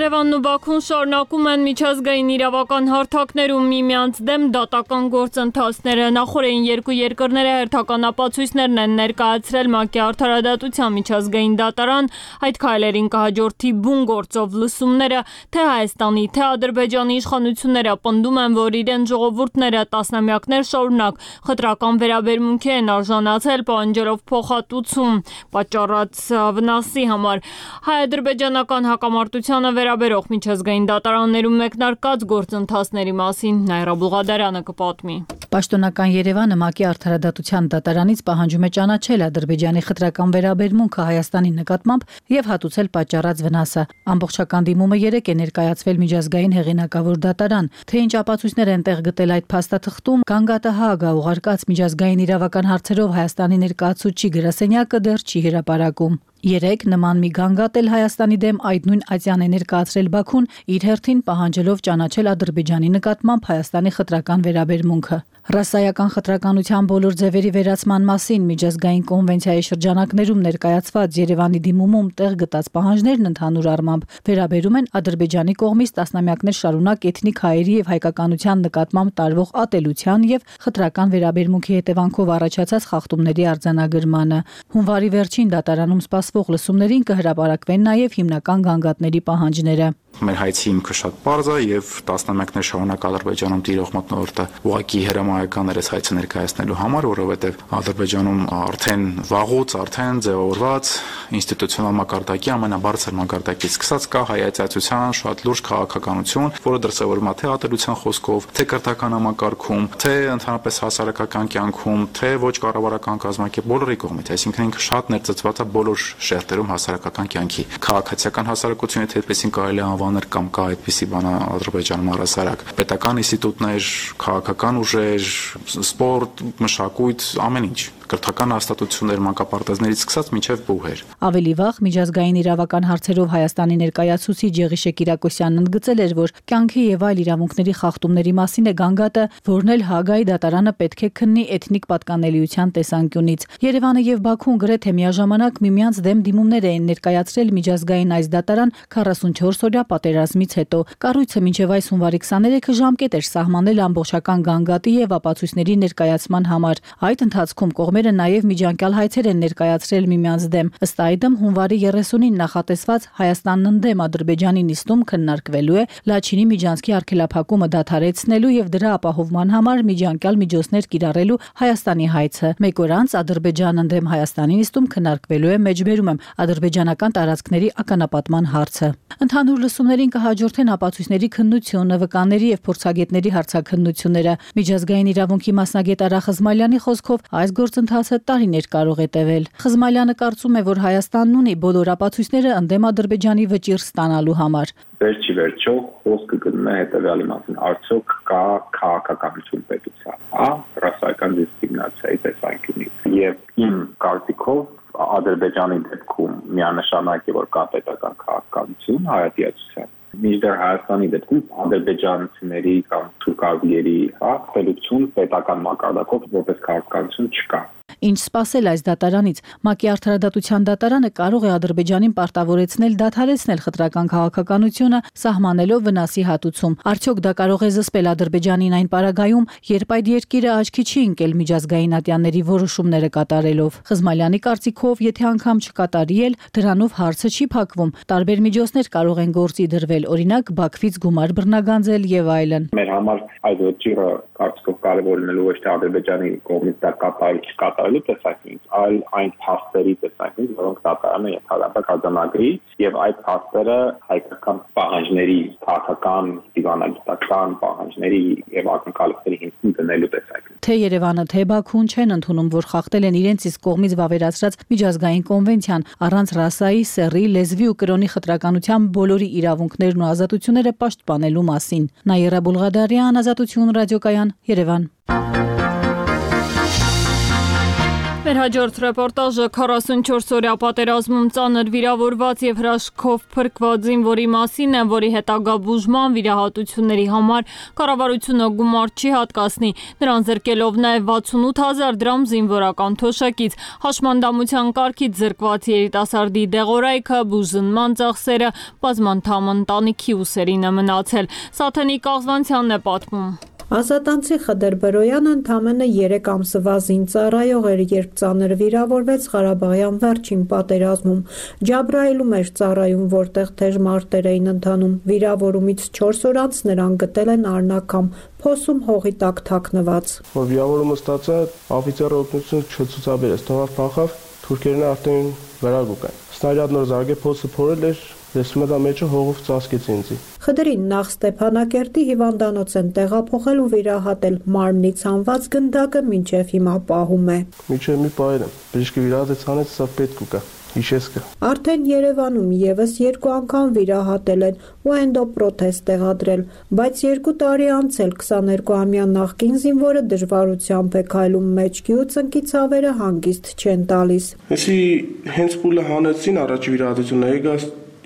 Երևանն ու Բաքուն շարունակում են միջազգային իրավական հարթակներում միմյանց դեմ դատական գործընթացները։ Նախորդին երկու երկրները հերթական ապացույցներն են ներկայացրել ՄԱԿ-ի արդարադատության միջազգային դատարան, այդ քայլերին կհաջորդի բուն գործով լսումները, թե Հայաստանի, թե Ադրբեջանի իշխանությունները պնդում են, որ իրենց ժողովուրդները տասնամյակներ շարունակ խտրական վերաբերմունքի են արժանացել, պահանջելով փոխհատուցում պատճառած վնասի համար։ Հայ-ադրբեջանական հակամարտությանը վերաբերող միջազգային դատարաններում մեկնարկած գործընթացների մասին Նայրա Բուղադարյանը կպատմի։ Պաշտոնական Երևանը ՄԱԿ-ի արդարադատության դատարանից պահանջում է ճանաչել Ադրբեջանի խտրական վերաբերմունքը Հայաստանի նկատմամբ եւ հատուցել պատճառած վնասը։ Ամբողջական դիմումը երեկ է ներկայացվել միջազգային հեղինակավոր դատարան, թե ինչ ապացույցներ են տեղ գտել այդ փաստաթղթում, Գանգատը Հաագա ուղարկած միջազգային իրավական հարցերով Հայաստանի ներկայացուցիչ գրասենյակը դեռ չի հրապարակում։ Երեկ նման մի գանգատ էլ Հայաստանի դեմ այդ նույն ատյան է ներկայացրել Բաքուն, իր հերթին պահանջելով ճանաչել Ադրբեջանի նկատմամբ Հայաստանի խտրական վերաբերմունքը։ Ռասայական խտրականության բոլոր ձևերի վերացման մասին միջազգային կոնվենցիայի շրջանակներում ներկայացված Երևանի դիմումում տեղ գտած պահանջներն ընդհանուր առմամբ վերաբերում են Ադրբեջանի կողմից տասնամյակներ շարունակ էթնիկ հայերի եւ հայկականության նկատմամբ տարվող ատելության եւ խտրական վերաբերմունքի հետևանքով առաջացած խախտումների արձանագրմանը։ Հունվարի վերջին դատարանում սպասվող լսումներին կհրապարակվեն նաեւ հիմնական գանգատների պահանջները։ Մեր հայցի հիմքը շատ պարզ է եւ տասնամյակներ շարունակ Ադրբեջանում տիրող մթնոլորտը ուղղակի հրամայական էր այս հայցը ներկայացնելու համար, որովհետեւ Ադրբեջանում արդեն վաղուց արդեն ձևավորված ինստիտուցիոնալ մակարդակի ամենաբարձր մակարդակից սկսած կա հայացածության շատ լուրջ քաղաքականություն, որը դրսևորվում է թե ատելության խոսքով, թե կրթական համակարգում, թե ընդհանրապես հասարակական կյանքում, թե ոչ կառավարական կազմակերպ բոլորի կողմից, այսինքն ինքը շատ ներծծված է բոլոր շերտերում հասարակական կյանքի։ Քաղաքացիական հասարակությունը թե այդպեսին կարելի է անվանել կամ կա այդպիսի բան Ադրբեջանում առհասարակ։ Պետական ինստիտուտներ, քաղաքական ուժեր, սպորտ, մշակույթ, ամեն ինչ, կրթական հաստատություններ, մանկապարտեզներից սկսած մինչև բուհեր։ Ավելի վաղ միջազգային իրավական հարցերով Հայաստանի ներկայացուցիչ Եղիշե Կիրակոսյանն ընդգծել էր, որ կյանքի եւ այլ իրավունքների խախտումների մասին է գանգատը, որն էլ Հաագայի դատարանը պետք է քննի էթնիկ պատկանելիության տեսանկյունից։ Երևանը եւ Բաքուն գրեթե միաժամանակ միմյանց դեմ դիմումներ էին ներկայացրել միջազգային այս դատարան քառասունչորս օրյա պատերազմից հետո։ Կառույցը մինչև այս հունվարի քսաներեքը ժամկետ էր սահմանել ամբողջական գանգատի եւ ապացույցների ներկայացման համար։ Այդ ընթացքում կողմերը նաեւ միջանկյալ հայցեր են ներկայացրել միմյանց դեմ։ Ըստ այդմ հունվարի երեսունին նախատեսված Հայաստանն ընդդեմ Ադրբեջանի նիստում քննարկվելու է Լաչինի միջանցքի արգելափակումը դադարեցնելու եւ դրա ապահովման համար միջանկյալ միջոցներ կիրառելու Հայաստանի հայցը։ Մեկ օր անց Ադրբեջանն ընդդեմ Հայաստանի նիստում քննարկվելու է, մեջբերում եմ, ադրբեջանական տարածքների ականապատման հարցը։ Ընդհանուր լսումներին կհաջորդեն ապացույցների քննությունը, վկաների եւ փորձագետների հարցաքննությունները։ Միջազգային իրավունքի մասնագետ Արա Խզմալյանի խոսքով այս գործընթացը տարիներ կարող է տևել։ Խզմալյանը կարծում է, որ Հայաստանն ունի բոլոր ապացույցները ընդդեմ Ադրբեջանի վճիռ ստանալու համար։ Վերջի վերջո խոսքը գնում է հետևյալի մասին. արդյոք կա քաղաքականություն պետության, հա, ռասայական դիսկրիմինացիայի տեսանկյունից։ Եվ իմ կարծիքով Ադրբեջանի դեպքում միանշանակ է, որ կա պետական քաղաքականություն հայատյացության։ Մինչդեռ Հայաստանի դեպքում ադրբեջանցիների կամ թուրքազգերի, հա, խելություն պետական մակարդակով որպես քաղաքականություն չկա։ Ինչ սպասել այս դատարանից։ ՄԱԿ-ի արդարադատության դատարանը կարող է Ադրբեջանին պարտավորեցնել դադարեցնել խտրական քաղաքականությունը, սահմանելով վնասի հատուցում։ Արդյոք դա կարող է զսպել Ադրբեջանին այն պարագայում, երբ այդ երկիրը աչքի չի ընկել միջազգային ատյանների որոշումները կատարելով։ Խզմալյանի կարծիքով, եթե անգամ չկատարի էլ, դրանով հարցը չի փակվում։ Տարբեր միջոցներ կարող են գործի դրվել, օրինակ Բաքվից գումար բռնագանձել եւ այլն։ Մեր համար այդ ոչիրը կարծիքով կարևոր լինելու ոչ թե Ադրբեջանի կողմից դա կատարել չկատարելու տեսանկյունից, այլ այն փաստերի տեսանկյունից, որոնք դատարանը ենթադրաբար կազմակերպի, եւ այդ փաստերը հայկական պահանջների, քաղաքական, դիվանագիտական պահանջների եւ ակնկալիքների հիմքին դնելու տեսանկյունից։ Թե Երևանը, թե Բաքուն չեն ընդունում, որ խախտել են իրենց իսկ կողմից վավերացրած միջազգային կոնվենցիան առանց ռասայի, սեռի, լեզվի ու կրոնի խտրականության բոլորի իրավունքներն ու ազատությունները պաշտպանելու մասին։ Նայրա Բուլղադարյան, Ազատություն ռադիոկայան, Երևան։ Մեր հաջորդ ռեպորտաժը քառասունչորս օրյա պատերազմում ծանր վիրավորված եւ հրաշքով փրկված զինվորի մասին է, որի հետագա բուժման վիրահատությունների համար կառավարությունը գումար չի հատկացնի, նրան զրկելով նաեւ վաթսունութ հազար դրամ զինվորական թոշակից։ Հաշմանդամության կարգից զրկված երիտասարդի դեղորայքը, բուժզնման ծախսերը բազմանդամ ընտանիքի ուսերին է մնացել։ Սաթենիկ Աղզանցյանն է պատմում։ Ազատանցի Խդեր Բրոյանը ընդամենը երեք ամսվա զինծառայող էր, երբ ծանր վիրավորվեց Ղարաբաղյան վերջին պատերազմում։ Ջաբրայիլում էր ծառայում, որտեղ թեժ մարտեր էին ընթանում։ Վիրավորումից չորս օր անց նրան գտել են Արնակամ, փոսում հողի տակ թաքնված։ Որ վիրավորումը ստացա, օֆիցերը օգնություն չցուցաբերեց, թողավ փախավ, թուրքերն արդեն վերագուկ են։ Սնարյադ նոր զարգե փոսը փորել էր, դեսում դա մեջը հողով ծածկեց ինձ։ Խդրին նախ Ստեփանակերտի հիվանդանոց են տեղափոխել ու վիրահատել, մարմնի ցանված գնդակը մինչև հիմա պահում է։ Մինչև մի պահել եմ, բժիշկը վիրահատեց հանեց, սա պետք ուկա։ Հիշեսկը։ Արդեն Երևանում եւս երկու անգամ վիրահատել են ու էնդոպրոթեզ տեղադրել, բայց երկու տարի անց էլ քսաներկուամյա նախկին զինվորը դժվարությամբ է քայլում, մեջքի ու ծնկի ցավերը հանգիստ չեն տալիս։ Էսի հենց փուլը հանեցին առաջ վիրահատությունը, եկա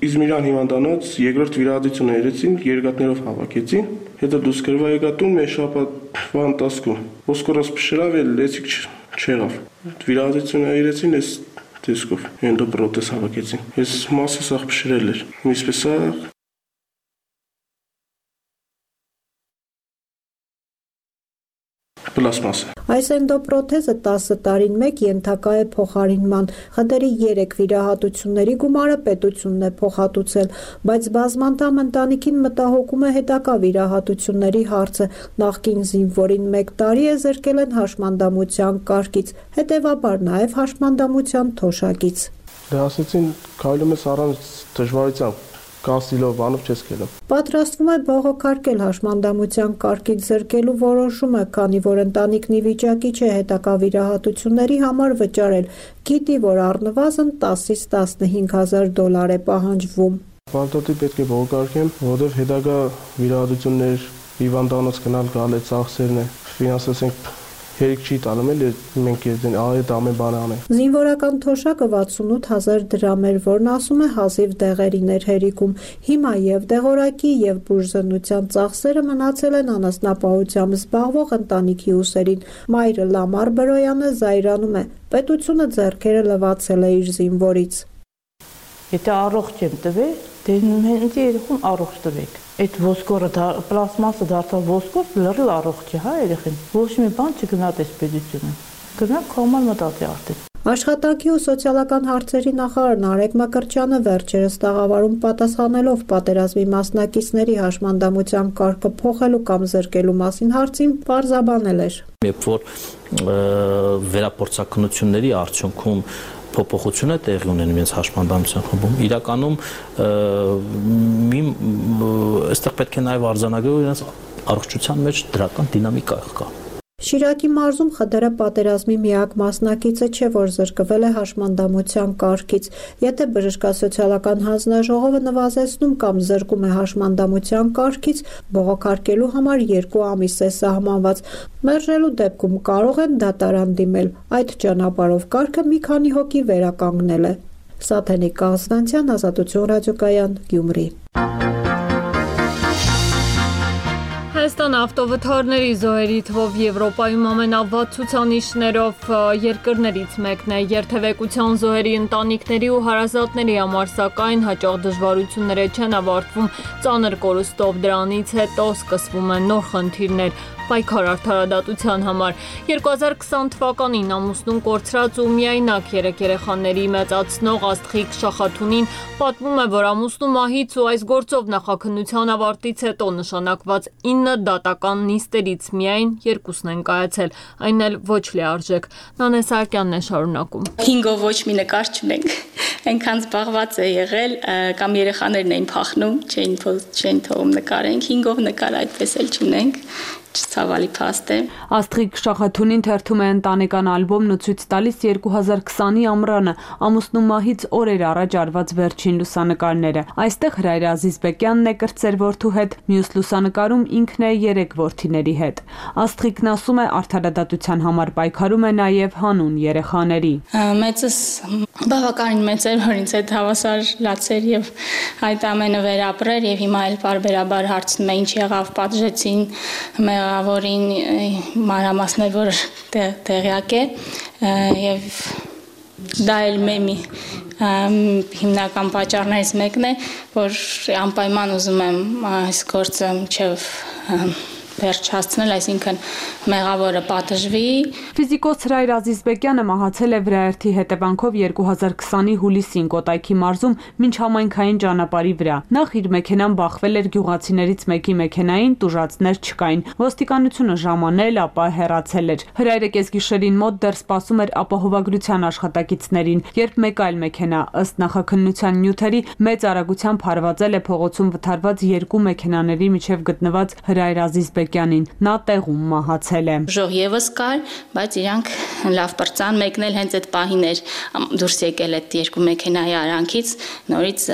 Իզմիրան հիվանդանոց, երկրորդ վիրահատությունը երեցին, երկաթներով հավաքեցին, հետո դուս գրվա եկա տուն մեր շաբաթվա ընթացքում։ Ոսկորոս փշրավ էլ լեցիկ չեղավ։ Վիրահատությունը երեցին, ես տեսքով էնդոպրոթեզ հավաքեցին։ Ես մասը սաղ փշրել էր։ Ինչպես է պլաստմասը։ Այս էնդոպրոթեզը տասը տարին մեկ ենթակա է փոխարինման։ Խդերի երեք վիրահատությունների գումարը պետությունն է փոխհատուցել, բայց բազմանդամ ընտանիքին մտահոգում է հետագա վիրահատությունների հարցը։ Նախկին զինվորին մեկ տարի է զրկել են հաշմանդամության կարգից, հետևաբար նաև հաշմանդամության թոշակից։ Դե ասեցին, քայլում ես առանց դժվարության։ Կասիլով բանով չես գնում։ Պատրաստվում է բողոքարկել հաշմանդամության կարգից զրկելու որոշումը, քանի որ ընտանիքն ի վիճակի չէ հետագա վիրահատությունների համար վճարել։ Գիտի, որ առնվազն տասից տասնհինգ հազար դոլար է պահանջվում։ Պարտադիր պետք է բողոքարկեմ, որովհետև հետագա վիրահատություններ, հիվանդանոց գնալ գալ է ծախսերն է, ֆինանսենք Հերիք չի տալում էլ մենք այդ ամեն բանը անենք։ Զինվորական թոշակը վաթսունութ հազար դրամ էր, որն ասում է հազիվ դեղերին էր հերիքում։ Հիմա եւ դեղորայքի եւ բուժզնության ծախսերը մնացել են անասնապահությամբ զբաղվող ընտանիքի ուսերին։ Մայրը Լամար Բրոյանը զայրանում է։ Պետությունը ձեռքերը լվացել է իր զինվորից։ Եթե առողջ եմ տվել, դե հենց երեխուն առողջ տվեք։ Այդ ոսկորը պլաստմասը դարձավ ոսկոր, լրիվ առողջ է, հա, երեխին։ Ոչ մի բան չգնաց այս պետությունը։ Գնանք կոմալ մտածի արդեն։ Աշխատանքի ու սոցիալական հարցերի նախարար Նարեկ Մկրտչյանը վերջերս տաղավարում պատասխանելով պատերազմի մասնակիցների հաշմանդամության կարգը փոխելու կամ զրկելու մասին հարցին պարզաբանել էր։ Երբ որ վերապորցակնությունների արդյունքում փոփոխությունը տեղի ունեն իրենց հաշմանդամության խմբում, իրականում մի այստեղ պետք է նաև արձանագրել իրենց առողջության մեջ դրական դինամիկա կա։ Շիրակի մարզում Խդերը պատերազմի միակ մասնակիցը չէ, որ զրկվել է հաշմանդամության կարգից։ Եթե բժշկասոցիալական հանձնաժողովը նվազեցնում կամ զրկում է հաշմանդամության կարգից, բողոքարկելու համար երկու ամիս է սահմանված։ Մերժելու դեպքում կարող են դատարան դիմել։ Այդ ճանապարհով կարգը մի քանի հոգի վերականգնել է։ Սաթենիկ Աղզանցյան, Ազատություն ռադիոկայան, Գյումրի։ Հայաստան ավտովթարների զոհերի թվով Եվրոպայում ամենավատ ցուցանիշներով երկրներից մեկն է։ Երթևեկության զոհերի ընտանիքների ու հարազատների համար սակայն հաճախ դժվարությունները չեն ավարտվում ծանր կորուստով, դրանից հետո սկսվում են նոր խնդիրներ պայքար արդարադատության համար։ երկու հազար քսան թվականին ամուսնուն կորցրած ու միայնակ երեք երեխաների մեծացնող Աստղիկ Շախաթունին պատմում է, որ ամուսնու մահից ու այս գործով նախաքննության ավարտից հետո նշանակված ինը դատական նիստերից միայն երկուսն են կայացել, այն էլ ոչ լիարժեք։ Նանե Սահակյանն է շարունակում։ Հինգով ոչ մի նկար չունենք։ Այնքան զբաղված է եղել, կամ երեխաներն էին փախնում, չէին չէին թողում նկարենք, հինգով նկար այդպես էլ չունենք։ ցավալի փաստ է։ Աստղիկ Շախաթունին թերթում է ընտանեկան ալբոմն ու ցույց տալիս երկու հազար քսանի ամռանը ամուսնու մահից օրեր առաջ արված վերջին լուսանկարները։ Այստեղ Հրայր Ազիզբեկյանն է կրտսեր որդու հետ, մյուս լուսանկարում ինքն է երեք որդիների հետ։ Աստղիկն ասում է, արդարադատության համար պայքարում է նաև հանուն երեխաների։ Մեծս բավականին մեծ էր, որ ինձ հետ հավասար լացեր եւ այդ ամենը վերապրեր եւ հիմա էլ բարբերաբար հարցնում է ինչ եղավ, պատժեցին մեղավորին, մանրամասներ, որ տեղյակ է եւ դա էլ մեմի հիմնական պատճառներից մեկն է, որ անպայման ուզում եմ այս գործը մինչեւ վերջ հասցնել, այսինքն մեղավորը պատժվի։ Ֆիզիկոս Հրայր Ազիզբեկյանը մահացել է վրաերթի հետևանքով երկու հազար քսանի հուլիսին Կոտայքի մարզում միջհամայնքային ճանապարհի վրա։ Նախ իր մեքենան բախվել էր գյուղացիներից մեկի մեքենային, տուժածներ չկային։ Ոստիկանությունը ժամանել, ապա հեռացել էր։ Հրայրը կեսգիշերին մոտ դեռ սպասում էր ապահովագրության աշխատակիցներին, երբ մեկ այլ մեքենա ըստ նախաքննության նյութերի մեծ արագությամբ հարվածել է փողոցում վթարված երկու մեքենաների միջև գտնված Հրայր Ազիզբեկյանին, նա տեղում մահացել է։ Ժող եւս կար, բայց իրանք լավ պրծան, մեկն էլ հենց այդ պահին էր դուրս եկել այդ երկու մեքենայի արանքից, նորից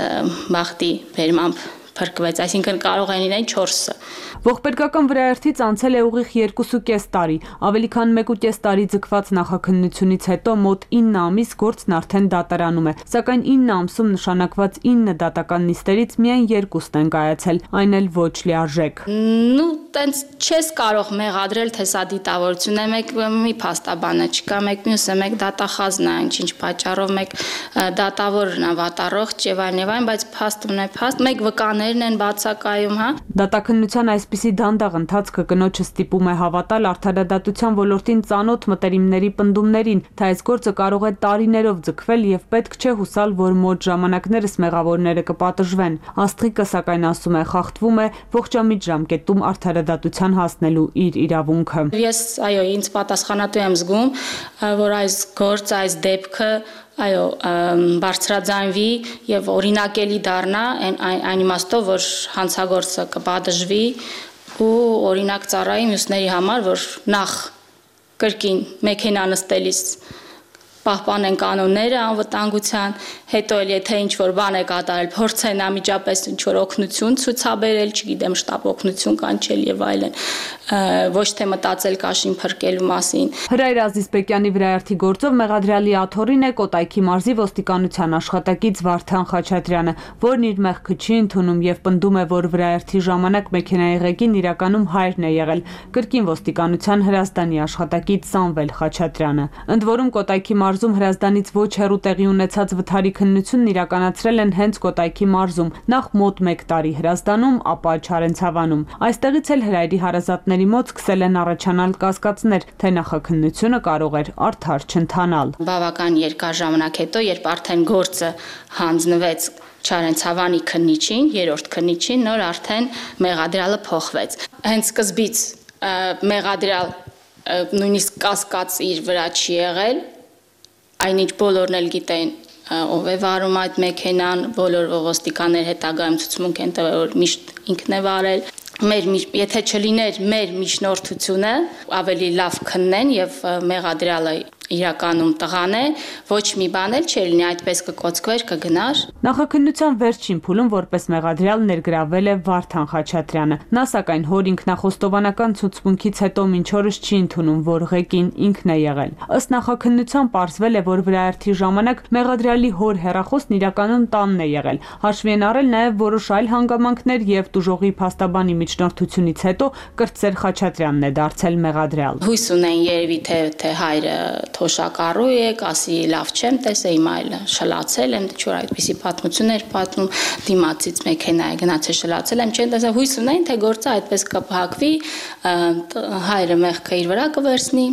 բախտի բերմամբ փրկվեց, այսինքն կարող են լինել չորսը։ Ողբերգական վրաերթից անցել է ուղիղ երկուսուկես տարի, ավելի քան մեկուկես տարի ձգված նախաքննությունից հետո մոտ ինը ամիս գործն արդեն դատարանում է, սակայն ինը ամսում նշանակված ինը դատական նիստերից միայն երկուսն են կայացել, այն էլ ոչ լիարժեք։ Ну, տենց չես կարող մեղադրել, թե սա դիտավորություն է, մեկ մի փաստաբանը չկա, մեկ մյուսը, մեկ դատախազն է, ինչ-ինչ պատճառով, մեկ դատավորն է վատառողջ եւ այլն եւ այլն, բայց փաստն է փաստ, մեկ վկաներն են բացակայում, հա։ Դատաքննության այսպիսի դանդաղ ընթացքը կնոջը ստիպում է հավատալ արդարադատության ոլորտին ծանոթ մտերիմների պնդումներին, թե այս գործը կարող է տարիներով ձգվել եւ պետք չէ հուսալ, որ մոտ ժամանակներս մեղավորները կպատժվեն։ Աստղիկը սակայն ասում է, խախտվում է ողջամիտ ժամկետում արդարադատության հասնելու իր իրավունքը։ Ես այո, ինձ պատասխանատու եմ զգում, որ այս գործը, այս դեպքը այո, բարձրաձայնվի եւ օրինակելի դառնա այն իմաստով, որ հանցագործը կպատժվի ու օրինակ ծառայի մյուսների համար, որ նախ կրկին մեքենա նստելիս պահպանեն կանոնները անվտանգության, հետո էլ եթե ինչ-որ բան է կատարել, փորձեն անմիջապես ինչ-որ օգնություն ցուցաբերել, չգիտեմ, շտապ օգնություն կանչել եւ այլն, ոչ թե մտածել կաշին փրկելու մասին։ Հրայր Ազիզբեկյանի վրաերթի գործով մեղադրյալի աթոռին է Կոտայքի մարզի ոստիկանության աշխատակից Վարդան Խաչատրյանը, որն իր մեղքը չի ընդունում եւ պնդում է, որ վրաերթի ժամանակ մեքենայի ղեկին իրականում հայրն է եղել, կրկին ոստիկանության Հրազդանի աշխատակից Սամվել Խաչատրյանը։ Ընդ որում Կոտայքի մարզում Հրազդանից ոչ հեռու տեղի ունեցած վթարի քննությունն իրականացրել են հենց Կոտայքի մարզում, նախ մոտ մեկ տարի Հրազդանում, ապա Չարենցավանում։ Այստեղից էլ Հրայրի հարազատների մոտ սկսել են առաջանալ կասկածներ, թե նախաքննությունը կարող էր արդար չընթանալ։ Բավական երկար ժամանակ հետո, երբ արդեն գործը հանձնվեց Չարենցավանի քննիչին, երրորդ քննիչին, նոր արդեն մեղադրյալը փոխվեց։ Հենց սկզբից մեղադրյալ նույնիսկ կասկած իր վրա չի եղել, այնինչ բոլորն էլ գիտեն ով է վարում այդ մեքենան, բոլոր ոստիկաններ հետագայում ցուցմունք են տվել, որ միշտ ինքն է վարել։ Մեր եթե չլիներ մեր միջնորդությունը, ավելի լավ քննեն եւ մեղադրյալը իրականում տղան է, ոչ մի բան էլ չէր լինի, այդպես կկոծկվեր, կգնար։ Նախաքննության վերջին փուլում որպես մեղադրյալ ներգրավել է Վարդան Խաչատրյանը։ Նա սակայն հոր ինքնախոստովանական ցուցմունքից հետո մինչ օրս չի ընդունում, որ ղեկին ինքն է եղել։ Ըստ նախաքննության պարզվել է, որ վրաերթի ժամանակ մեղադրյալի հոր հեռախոսն իրականում տանն է եղել։ Հաշվի են առել նաև որոշ այլ հանգամանքներ եւ տուժողի փաստաբանի միջնորդությունից հետո կրտսեր Խաչատրյանն է դարձել մեղադրյալ։ Հույս ունեն երևի թե թե հայրը թոշակառու եք, ասի լավ չեմ տեսել, հիմա այլ շլացել եմ, դե այդպիսի պատմություններ պատմում, դիմացից մեքենա է գնացել շլացել եմ, չեն տեսել, հույս ունեն, թե գործը այդպես կփակվի, հայրը մեղքը իր վրա կվերցնի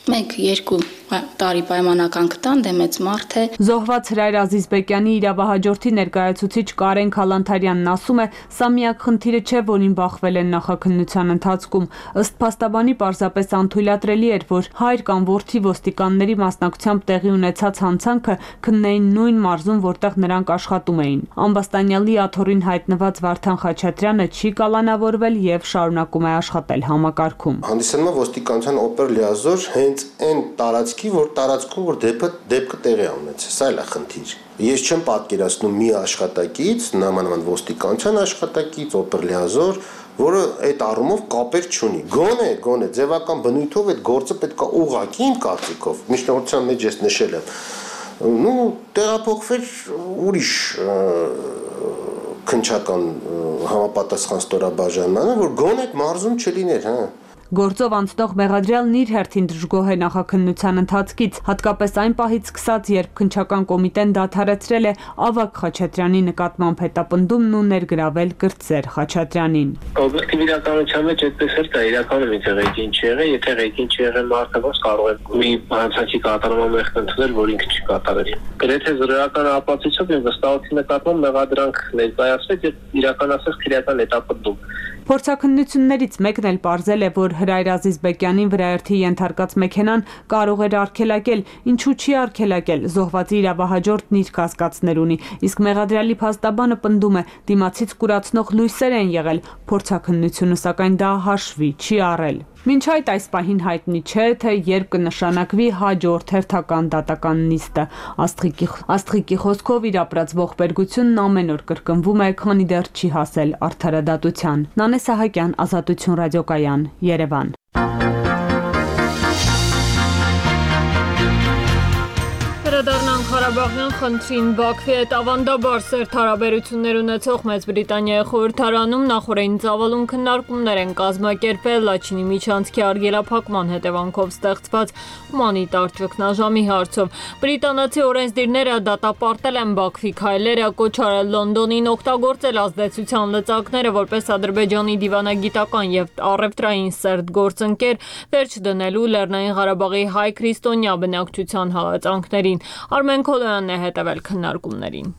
Մենք երկու տարի պայմանական կտան, դե մեծ մարդ է։ Զոհված Հրայր Ազիզբեկյանի իրավահաջորդի ներկայացուցիչ Կարեն Քալանթարյանն ասում է, սա միակ խնդիրը չէ, որին բախվել են նախաքննության ընթացքում։ Ըստ փաստաբանի պարզապես անթույլատրելի էր, որ հայր կամ որդի ոստիկանների մասնակցությամբ տեղի ունեցած հանցանքը քննեին նույն մարզում, որտեղ նրանք աշխատում էին։ Ամբաստանյալի աթոռին հայտնված Վարդան Խաչատրյանը չի կալանավորվել եւ շարունակում է աշխատել համակարգում։ Հանդիսանում է ոստիկանության օպեր լիազոր հենց այն տարածքի, որ տարածքում որ դեպքը դեպքը տեղի ունեցել, սա էլ է խնդիր։ Ես չեմ պատկերացնում մի աշխատակից, նամանավանդ ոստիկանության աշխատակից, օպեր լիազոր, որը այդ առումով կապեր չունի։ Գոնե, գոնե ձևական բնույթով այդ գործը պետք է ուղղակի իմ կարծիքով, միջնորդության մեջ ես նշել եմ, նու տեղափոխվել ուրիշ քննչական համապատասխան ստորաբաժանմանը, որ գոնե այդ մարզում չլիներ, հա։ Գործով անցնող մեղադրյալն իր հերթին դժգոհ է նախաքննության ընթացքից, հատկապես այն պահից սկսած, երբ քննչական կոմիտեն դադարեցրել է Ավագ Խաչատրյանի նկատմամբ հետապնդումն ու ներգրավել կրտսեր Խաչատրյանին։ Օբյեկտիվ իրականության մեջ այդպես էլ կա, իրականում եթե ղեկին չի եղել, եթե ղեկին չի եղել մարդը, ոնց կարող է մի հանցանքի կատարման մեղք ընդունել, որ ինքը չի կատարել։ Գրեթե զրոյական ապացույցով եւ վստահության նկատմամբ մեղադրանք ներկայացվեց եւ իրականացվեց քրեական հետապնդում։ Փորձաքննություններից մեկն էլ պարզել է, որ Հրայր Ազիզբեկյանին վրայերթի ենթարկած մեքենան կարող էր արգելակել, ինչու չի արգելակել, զոհվածի իրավահաջորդն իր կասկածներ ունի, իսկ մեղադրյալի փաստաբանը պնդում է, դիմացից կուրացնող լույսեր են եղել, փորձաքննությունը սակայն դա հաշվի չի առել։ Մինչ այդ այս պահին հայտնի չէ, թե երբ կնշանակվի հաջորդ հերթական դատական նիստը։ Աստղիկի, Աստղիկի խոսքով իր ապրած ողբերգությունն ամեն օր կրկնվում է, քանի դեռ չի հասել արդարադատության։ Նանե Սահակյան, Ազատություն ռադիոկայան, Երևան։ Վերադառնանք Ղարաբաղյան խնդրին։ Բաքվի հետ ավանդաբար սերտ հարաբերություններ ունեցող Մեծ Բրիտանիայի խորհրդարանում նախօրեին ծավալուն քննարկումներ են կազմակերպել Լաչինի միջանցքի արգելափակման հետևանքով ստեղծված հումանիտար ճգնաժամի հարցով։ Բրիտանացի օրենսդիրները դատապարտել են Բաքվի քայլերը, կոչ արել Լոնդոնին օգտագործել ազդեցության լծակները որպես Ադրբեջանի դիվանագիտական եւ առևտրային սերտ գործընկեր, վերջ դնելու Լեռնային Ղարաբաղի հայ քրիստոնյա բնակչության հալածանքներին։ Արմեն Քոլոյանն է հետևել քննարկումներին։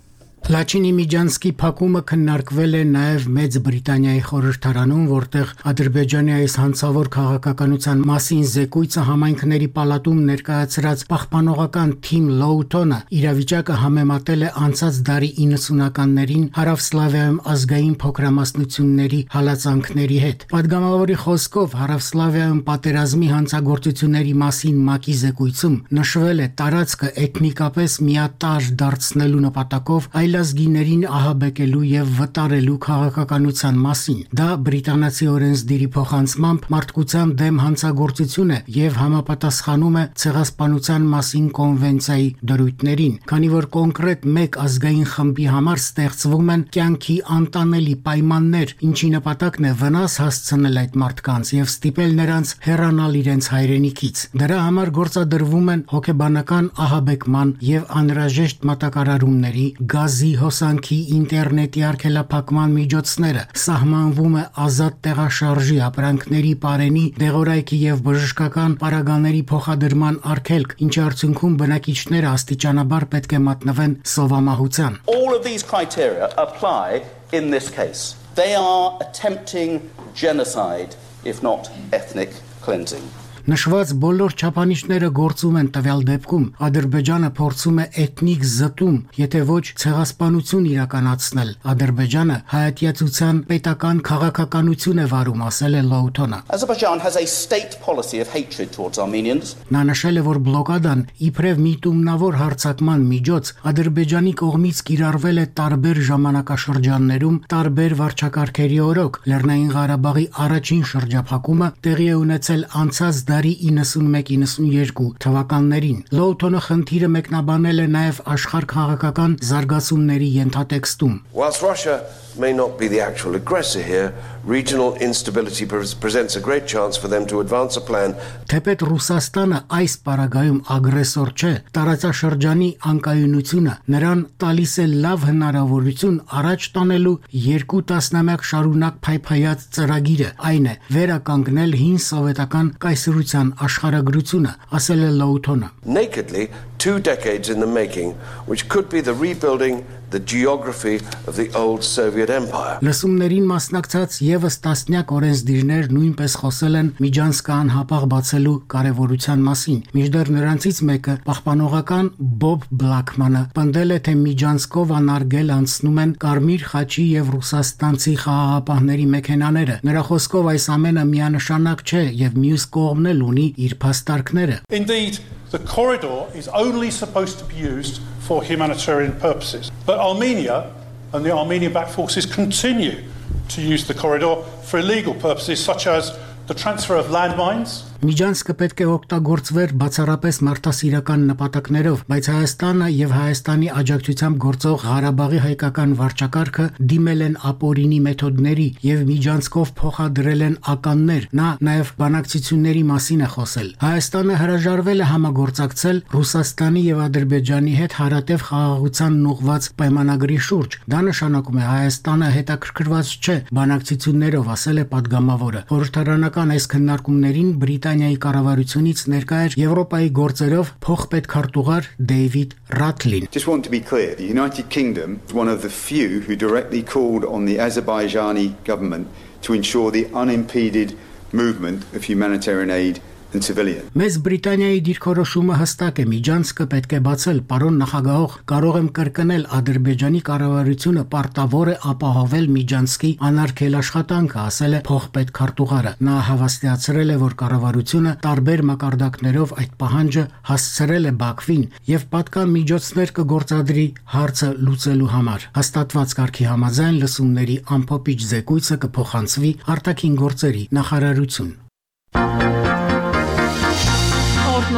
Լաչինի միջանցքի փակումը քննարկվել է նաև Մեծ Բրիտանիայի խորհրդարանում, որտեղ Ադրբեջանի այս հանցավոր քաղաքականության մասին զեկույցը համայնքների պալատում ներկայացրած պահպանողական Թիմ Լոութոնը իրավիճակը համեմատել է անցած դարի իննսունականներին Հարավսլավիայում ազգային փոքրամասնությունների հալածանքների հետ։ Պատգամավորի խոսքով Հարավսլավիայում պատերազմի հանցագործությունների մասին ՄԱԿ-ի զեկույցում նշվել է տարածքը էթնիկապես միատարր դարձնելու նպատակով այլազգիներին ահաբեկելու եւ վտարելու քաղաքականության մասին։ Դա բրիտանացի օրենսդիրի փոխանցմամբ մարդկության դեմ հանցագործություն է եւ համապատասխանում է ցեղասպանության մասին կոնվենցիայի դրույթներին, քանի որ կոնկրետ մեկ ազգային խմբի համար ստեղծվում են կյանքի անտանելի պայմաններ, ինչի նպատակն է վնաս հասցնել այդ մարդկանց եւ ստիպել նրանց հեռանալ իրենց հայրենիքից։ Դրա համար գործադրվում են հոգեբանական ահաբեկման եւ անհրաժեշտ մատակարարումների, գազի, հոսանքի, ինտերնետի արգելափակման միջոցները, սահմանվում է ազատ տեղաշարժի ապրանքների պարենի, դեղորայքի եւ բժշկական պարագաների փոխադրման արգելք, ինչի արդյունքում բնակիչները աստիճանաբար պետք է մատնվեն սովամահության։ All of these criteria apply in this case. They are attempting genocide, if not ethnic cleansing. Նշված բոլոր չափանիշները գործում են տվյալ դեպքում Ադրբեջանը փորձում է էթնիկ զտում, եթե ոչ ցեղասպանություն իրականացնել։ Ադրբեջանը հայատյացության պետական քաղաքականություն է վարում, ասել է Լոութոնը։ Azerbaijan has a state policy of hatred towards Armenians. Նա նշել է, որ բլոկադան իբրև միտումնավոր հարձակման միջոց Ադրբեջանի կողմից կիրառվել է տարբեր ժամանակաշրջաններում, տարբեր վարչակարգերի օրոք։ Լեռնային Ղարաբաղի առաջին շրջափակումը տեղի է ունեցել անցած դարի իննսունմեկ իննսունյերկու թվականներին։ Լոութոնը խնդիրը մեկնաբանել է նաև աշխարհ քաղաքական զարգացումների ենթատեքստում։ Whilst Russia may not be the actual aggressor here, regional instability presents a great chance for them to advance a plan. Թեպետ Ռուսաստանը այս պարագայում ագրեսոր չէ, տարածաշրջանի անկայունությունը նրան տալիս է լավ հնարավորություն առաջ տանելու երկու տասնամյակ շարունակ փայփայած ծրագիրը, այն է վերականգնել հին սովետական կայսրության խորհրդության աշխարհագրությունը, ասել է Լոութոնը. Nakedly, two decades in the making, which could be the rebuilding the geography of the old Soviet Empire. Լսումներին մասնակցած եւս տասնյակ օրենսդիրներ նույնպես խոսել են Միջանսկը անհապաղ բացելու կարևորության մասին։ Մինչդեռ նրանցից մեկը, պահպանողական Բոբ Բլաքմանը, պնդել է, թե Միջանսկով անարգել անցնում են Կարմիր խաչի եւ ռուսաստանցի խաղաղապահների մեքենաները։ Նրա խոսքով այս ամենը միանշանակ չէ եւ մյուս կողմն էլ ունի իր փաստարկները։ Indeed, the corridor is only supposed to be used for humanitarian purposes. But Armenia and the Armenian-backed forces continue to use the corridor for illegal purposes such as the transfer of landmines. Միջանսկը պետք է օգտագործվեր բացառապես մարդասիրական նպատակներով, բայց Հայաստանը եւ Հայաստանի աջակցությամբ գործող Ղարաբաղի հայկական վարչակարգը դիմել են ապօրինի մեթոդների եւ Միջանսկով փոխադրել են ականներ։ Նա նաեւ բանակցությունների մասին է խոսել։ Հայաստանը հրաժարվել է համագործակցել Ռուսաստանի եւ Ադրբեջանի հետ հարատև խաղաղությանն ուղղված պայմանագրի շուրջ։ Դա նշանակում է Հայաստանը հետաքրքրված չէ բանակցություններով, ասել է падգամավորը։ Խորհրդարանական այս քննարկումներին Բրիտանիայի կառավարությունից ներկա էր Եվրոպայի գործերով փոխպետքարտուղար Դեյվիդ Ռաթլին. Just want to be clear, the United Kingdom is one of the few who directly called on the Azerbaijani government to ensure the unimpeded movement of humanitarian aid and civilian. Մեծ Բրիտանիայի դիրքորոշումը հստակ է, Միջանսկը պետք է բացել, պարոն նախագահող, կարող եմ կրկնել, Ադրբեջանի կառավարությունը պարտավոր է ապահովել Միջանսկի անարգել աշխատանքը, ասել է փոխպետքարտուղարը։ Նա հավաստիացրել է, որ կառավարությունը տարբեր մակարդակներով այդ պահանջը հասցրել է Բաքվին եւ պատկան միջոցներ կգործադրի հարցը լուծելու համար։ Հաստատված կարգի համաձայն լսումների ամփոփիչ զեկույցը կփոխանցվի արտաքին գործերի նախարարություն։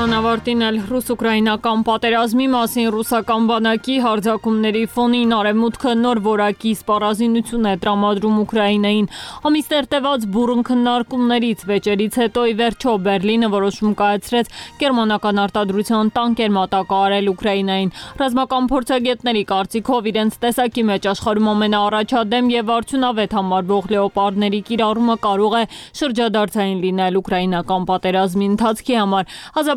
Անավարտին էլ ռուս-ուկրաինական պատերազմի մասին ռուսական բանակի հարձակումների ֆոնին արևմուտքը նոր որակի սպառազինություն է տրամադրում Ուկրաինային։ Ամիսներ տևած բուռն քննարկումներից վեճերից հետո ի վերջո Բերլինը որոշում կայացրեց գերմանական արտադրության տանկեր մատակարարել Ուկրաինային։ Ռազմական փորձագետների կարծիքով իրենց տեսակի մեջ աշխարհում ամենաառաջադեմ եւ արդյունավետ համարվող լեոպարդների կիրառումը կարող է շրջադարձային լինել ուկրաինական պատերազմի ընթացքի համար։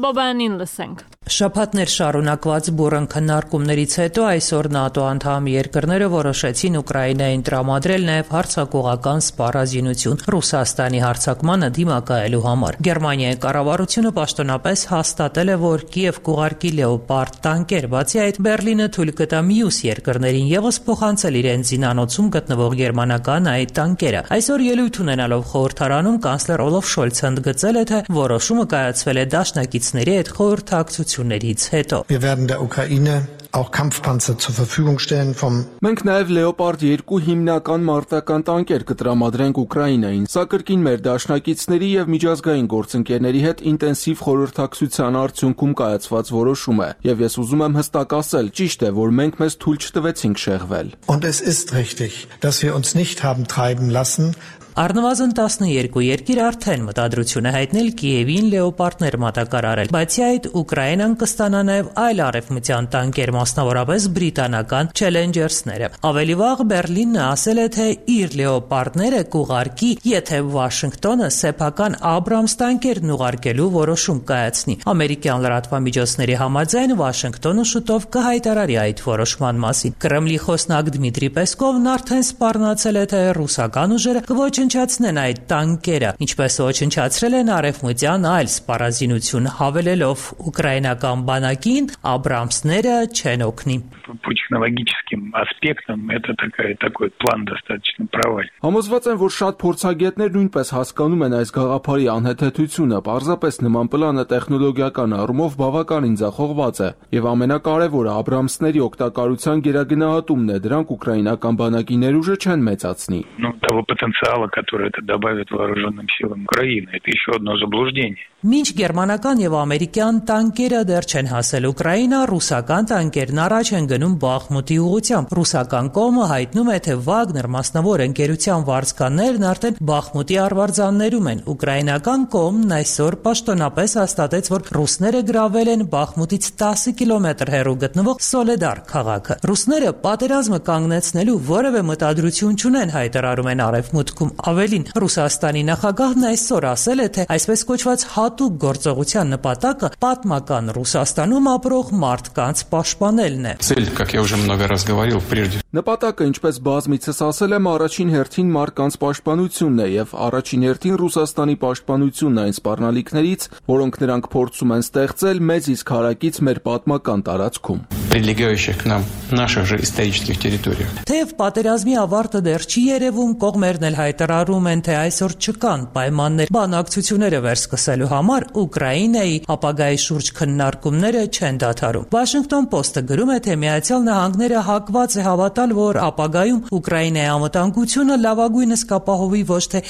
Բաբանին լսենք։ Շաբաթներ շարունակված բուռն քննարկումներից հետո այսօր ՆԱՏՕ անդամ երկրները որոշեցին Ուկրաինային տրամադրել նաև հարձակողական սպառազինություն Ռուսաստանի հարձակմանը դիմակայելու համար։ Գերմանիայի կառավարությունը պաշտոնապես հաստատել է, որ Կիև կուղարկի լեոպարդ տանկեր, բացի այդ Բերլինը թույլ կտա մյուս երկրներին եւս փոխանցել իրենց զինանոցում գտնվող գերմանական այդ տանկերը։ Այսօր ելույթ ունենալով խորհրդարանում կանցլեր Օլաֆ Շոլցը ընդգծել է, թե որոշումը կայացվել է դաշնակիցների հետ խորհրդակցություններից հետո։ Wir werden der Ukraine auch Kampfpanzer zur Verfügung stellen vom Մենք նաև Leopard two հիմնական մարտական տանկեր կտրամադրենք Ուկրաինային։ Սա կրկին մեր դաշնակիցների եւ միջազգային գործընկերների հետ ինտենսիվ խորհրդակցության արդյունքում կայացված որոշում է։ Եվ ես ուզում եմ հստակ ասել, ճիշտ է, որ մենք մեզ թույլ չտվեցինք շեղվել։ Und es ist richtig, dass wir uns nicht haben treiben lassen. Առնվազն տասնուերկու երկիր արդեն մտադրություն է հայտնել Կիևին լեոպարդներ մատակարարել, բացի այդ Ուկրաինան կստանա նաև այլ արևմտյան տանկեր, մասնավորապես բրիտանական Challenger-ները։ Ավելի վաղ Բերլինն ասել է, թե իր լեոպարդները կուղարկի, եթե Վաշինգտոնը սեփական Աբրամս տանկերն ուղարկելու որոշում կայացնի։ Ամերիկյան լրատվամիջոցների համաձայն Վաշինգտոնը շուտով կհայտարարի այդ որոշման մասին։ Կրեմլի խոսնակ Դմիտրի Պեսկովն արդեն սպառնացել է, թե ռուսական ուժերը կոչ Ոչնչացնեն այդ տանկերը, ինչպես ոչնչացրել են արևմտյան այլ սպառազինություն, հավելելով ուկրաինական բանակին Աբրամսները չեն օգնի։ По технологическим аспектам это такая, такой план достаточно провальный. Համոզված եմ, որ շատ փորձագետներ նույնպես հասկանում են այս գաղափարի անհեթեթությունը, պարզապես նման պլանը տեխնոլոգիական առումով բավականին ձախողված է, եւ ամենակարևորը Աբրամսների օգտակարության գերագնահատումն է, դրանք ուկրաինական բանակի ներուժը չեն մեծացնի։ Ну, того потенциала, который это добавит вооруженным силам Украины, это еще одно заблуждение. Մինչ գերմանական եւ ամերիկյան տանկերը դեռ չեն հասել Ուկրաինա, ռուսական տանկեր տանկերն առաջ են գնում Բախմուտի ուղղությամբ։ Ռուսական կողմը հայտնում է, թե Վագներ մասնավոր ընկերության վարձկաններն արդեն Բախմուտի արվարձաններում են։ Ուկրաինական կողմն այսօր պաշտոնապես հաստատեց, որ ռուսները գրավել են Բախմուտից տասը կիլոմետր հեռու գտնվող Սոլեդար քաղաքը։ Ռուսները պատերազմը կանգնեցնելու որևէ մտադրություն չունեն, հայտարարում են Արևմուտքում։ Ավելին, Ռուսաստանի նախագահն այսօր ասել է, թե այսպես կոչված հատուկ գործողության նպատակը պատմական Ռուսաստանում ապրող մարդկանց պաշտպանելն է։ Цель, как я уже много раз говорил, прежде Նպատակը, ինչպես բազմիցս ասել եմ, առաջին հերթին մարդկանց պաշտպանությունն է եւ առաջին հերթին Ռուսաստանի պաշտպանությունն այն սպառնալիքներից, որոնք նրանք փորձում են ստեղծել մեծ իսկ հարակից մեր պատմական տարածքում, прилегающих к нам наших же исторических территориях. Թեև պատերազմի ավարտը դեռ չի երևում, կողմերն էլ հայտարարում են, թե այսօր չկան պայմաններ բանակցությունները վերսկսելու համար, Ուկրաինայի ապագայի շուրջ քննարկումները չեն դադարում։ Washington Post-ը գրում է, թե Միացյալ Նահանգները հակված է հավատալ, որ ապագայում Ուկրաինայի անվտանգությունը լավագույնս կապահովի ոչ թե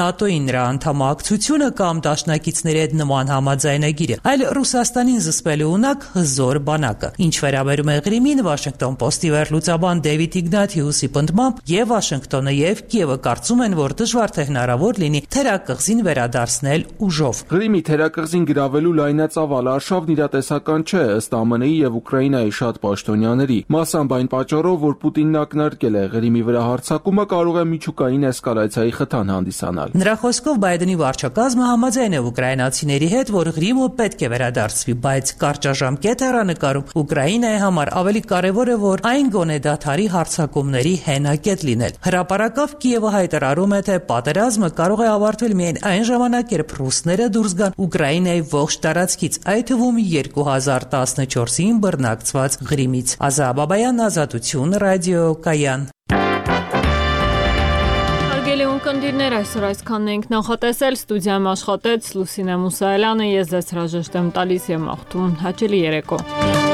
ՆԱՏՕ-ի նրա անդամակցությունը կամ դաշնակիցների հետ նման համաձայնագիրը, այլ Ռուսաստանին զսպելու ունակ հզոր բանակը։ Ինչ վերաբերում է Ղրիմին, Washington Post-ի վերլուծաբան Դեվիդ Իգնաթիուսի պնդմամբ եւ Վաշինգտոնը եւ Կիևը կարծում են, որ դժվար թե հնարավոր լինի թերակղզին վերադարձնել ուժով։ Ղրիմի թերակղզին գրավելու լայնածավալ արշավն իրատեսական չէ, ըստ ԱՄՆ-ի եւ Ուկրաինայի շատ պաշտոնյաների։ Մասամբ այն պատճառով, որ Պուտինն ակնարկել է Ղրիմի վրա հարձակումը կարող է միջուկային էսկալացիայի խթան հանդիսանալ։ Նրա խոսքով Բայդենի վարչակազմը համաձայն է ուկրաինացիների հետ, որ Ղրիմը պետք է վերադարձվի, բայց կարճաժամկետ հեռանկարում Ուկրաինայի համար ավելի կարևոր է, որ այն գոնե դադարի հարձակումների հենակետ լինել։ Հրապարակավ Կիևը հայտարարում է, թե պատերազմը կարող է ավարտվել միայն այն ժամանակ, երբ ռուսները դուրս գան Ուկրաինայի ողջ տարածքից, այդ թվում երկու հազար տասնչորսին բռնակցված Ղրիմից։ Ազա Բաբայան, Ազատություն, ռադիոկայան։ Հարգելի ունկնդիրներ, այսօր այսքանն ենք նախատեսել, ստուդիայում աշխատեց Լուսինե Մուսայելյանը, ես ձեզ հրաժեշտ եմ տալիս եւ մաղթում հաճելի երեկո։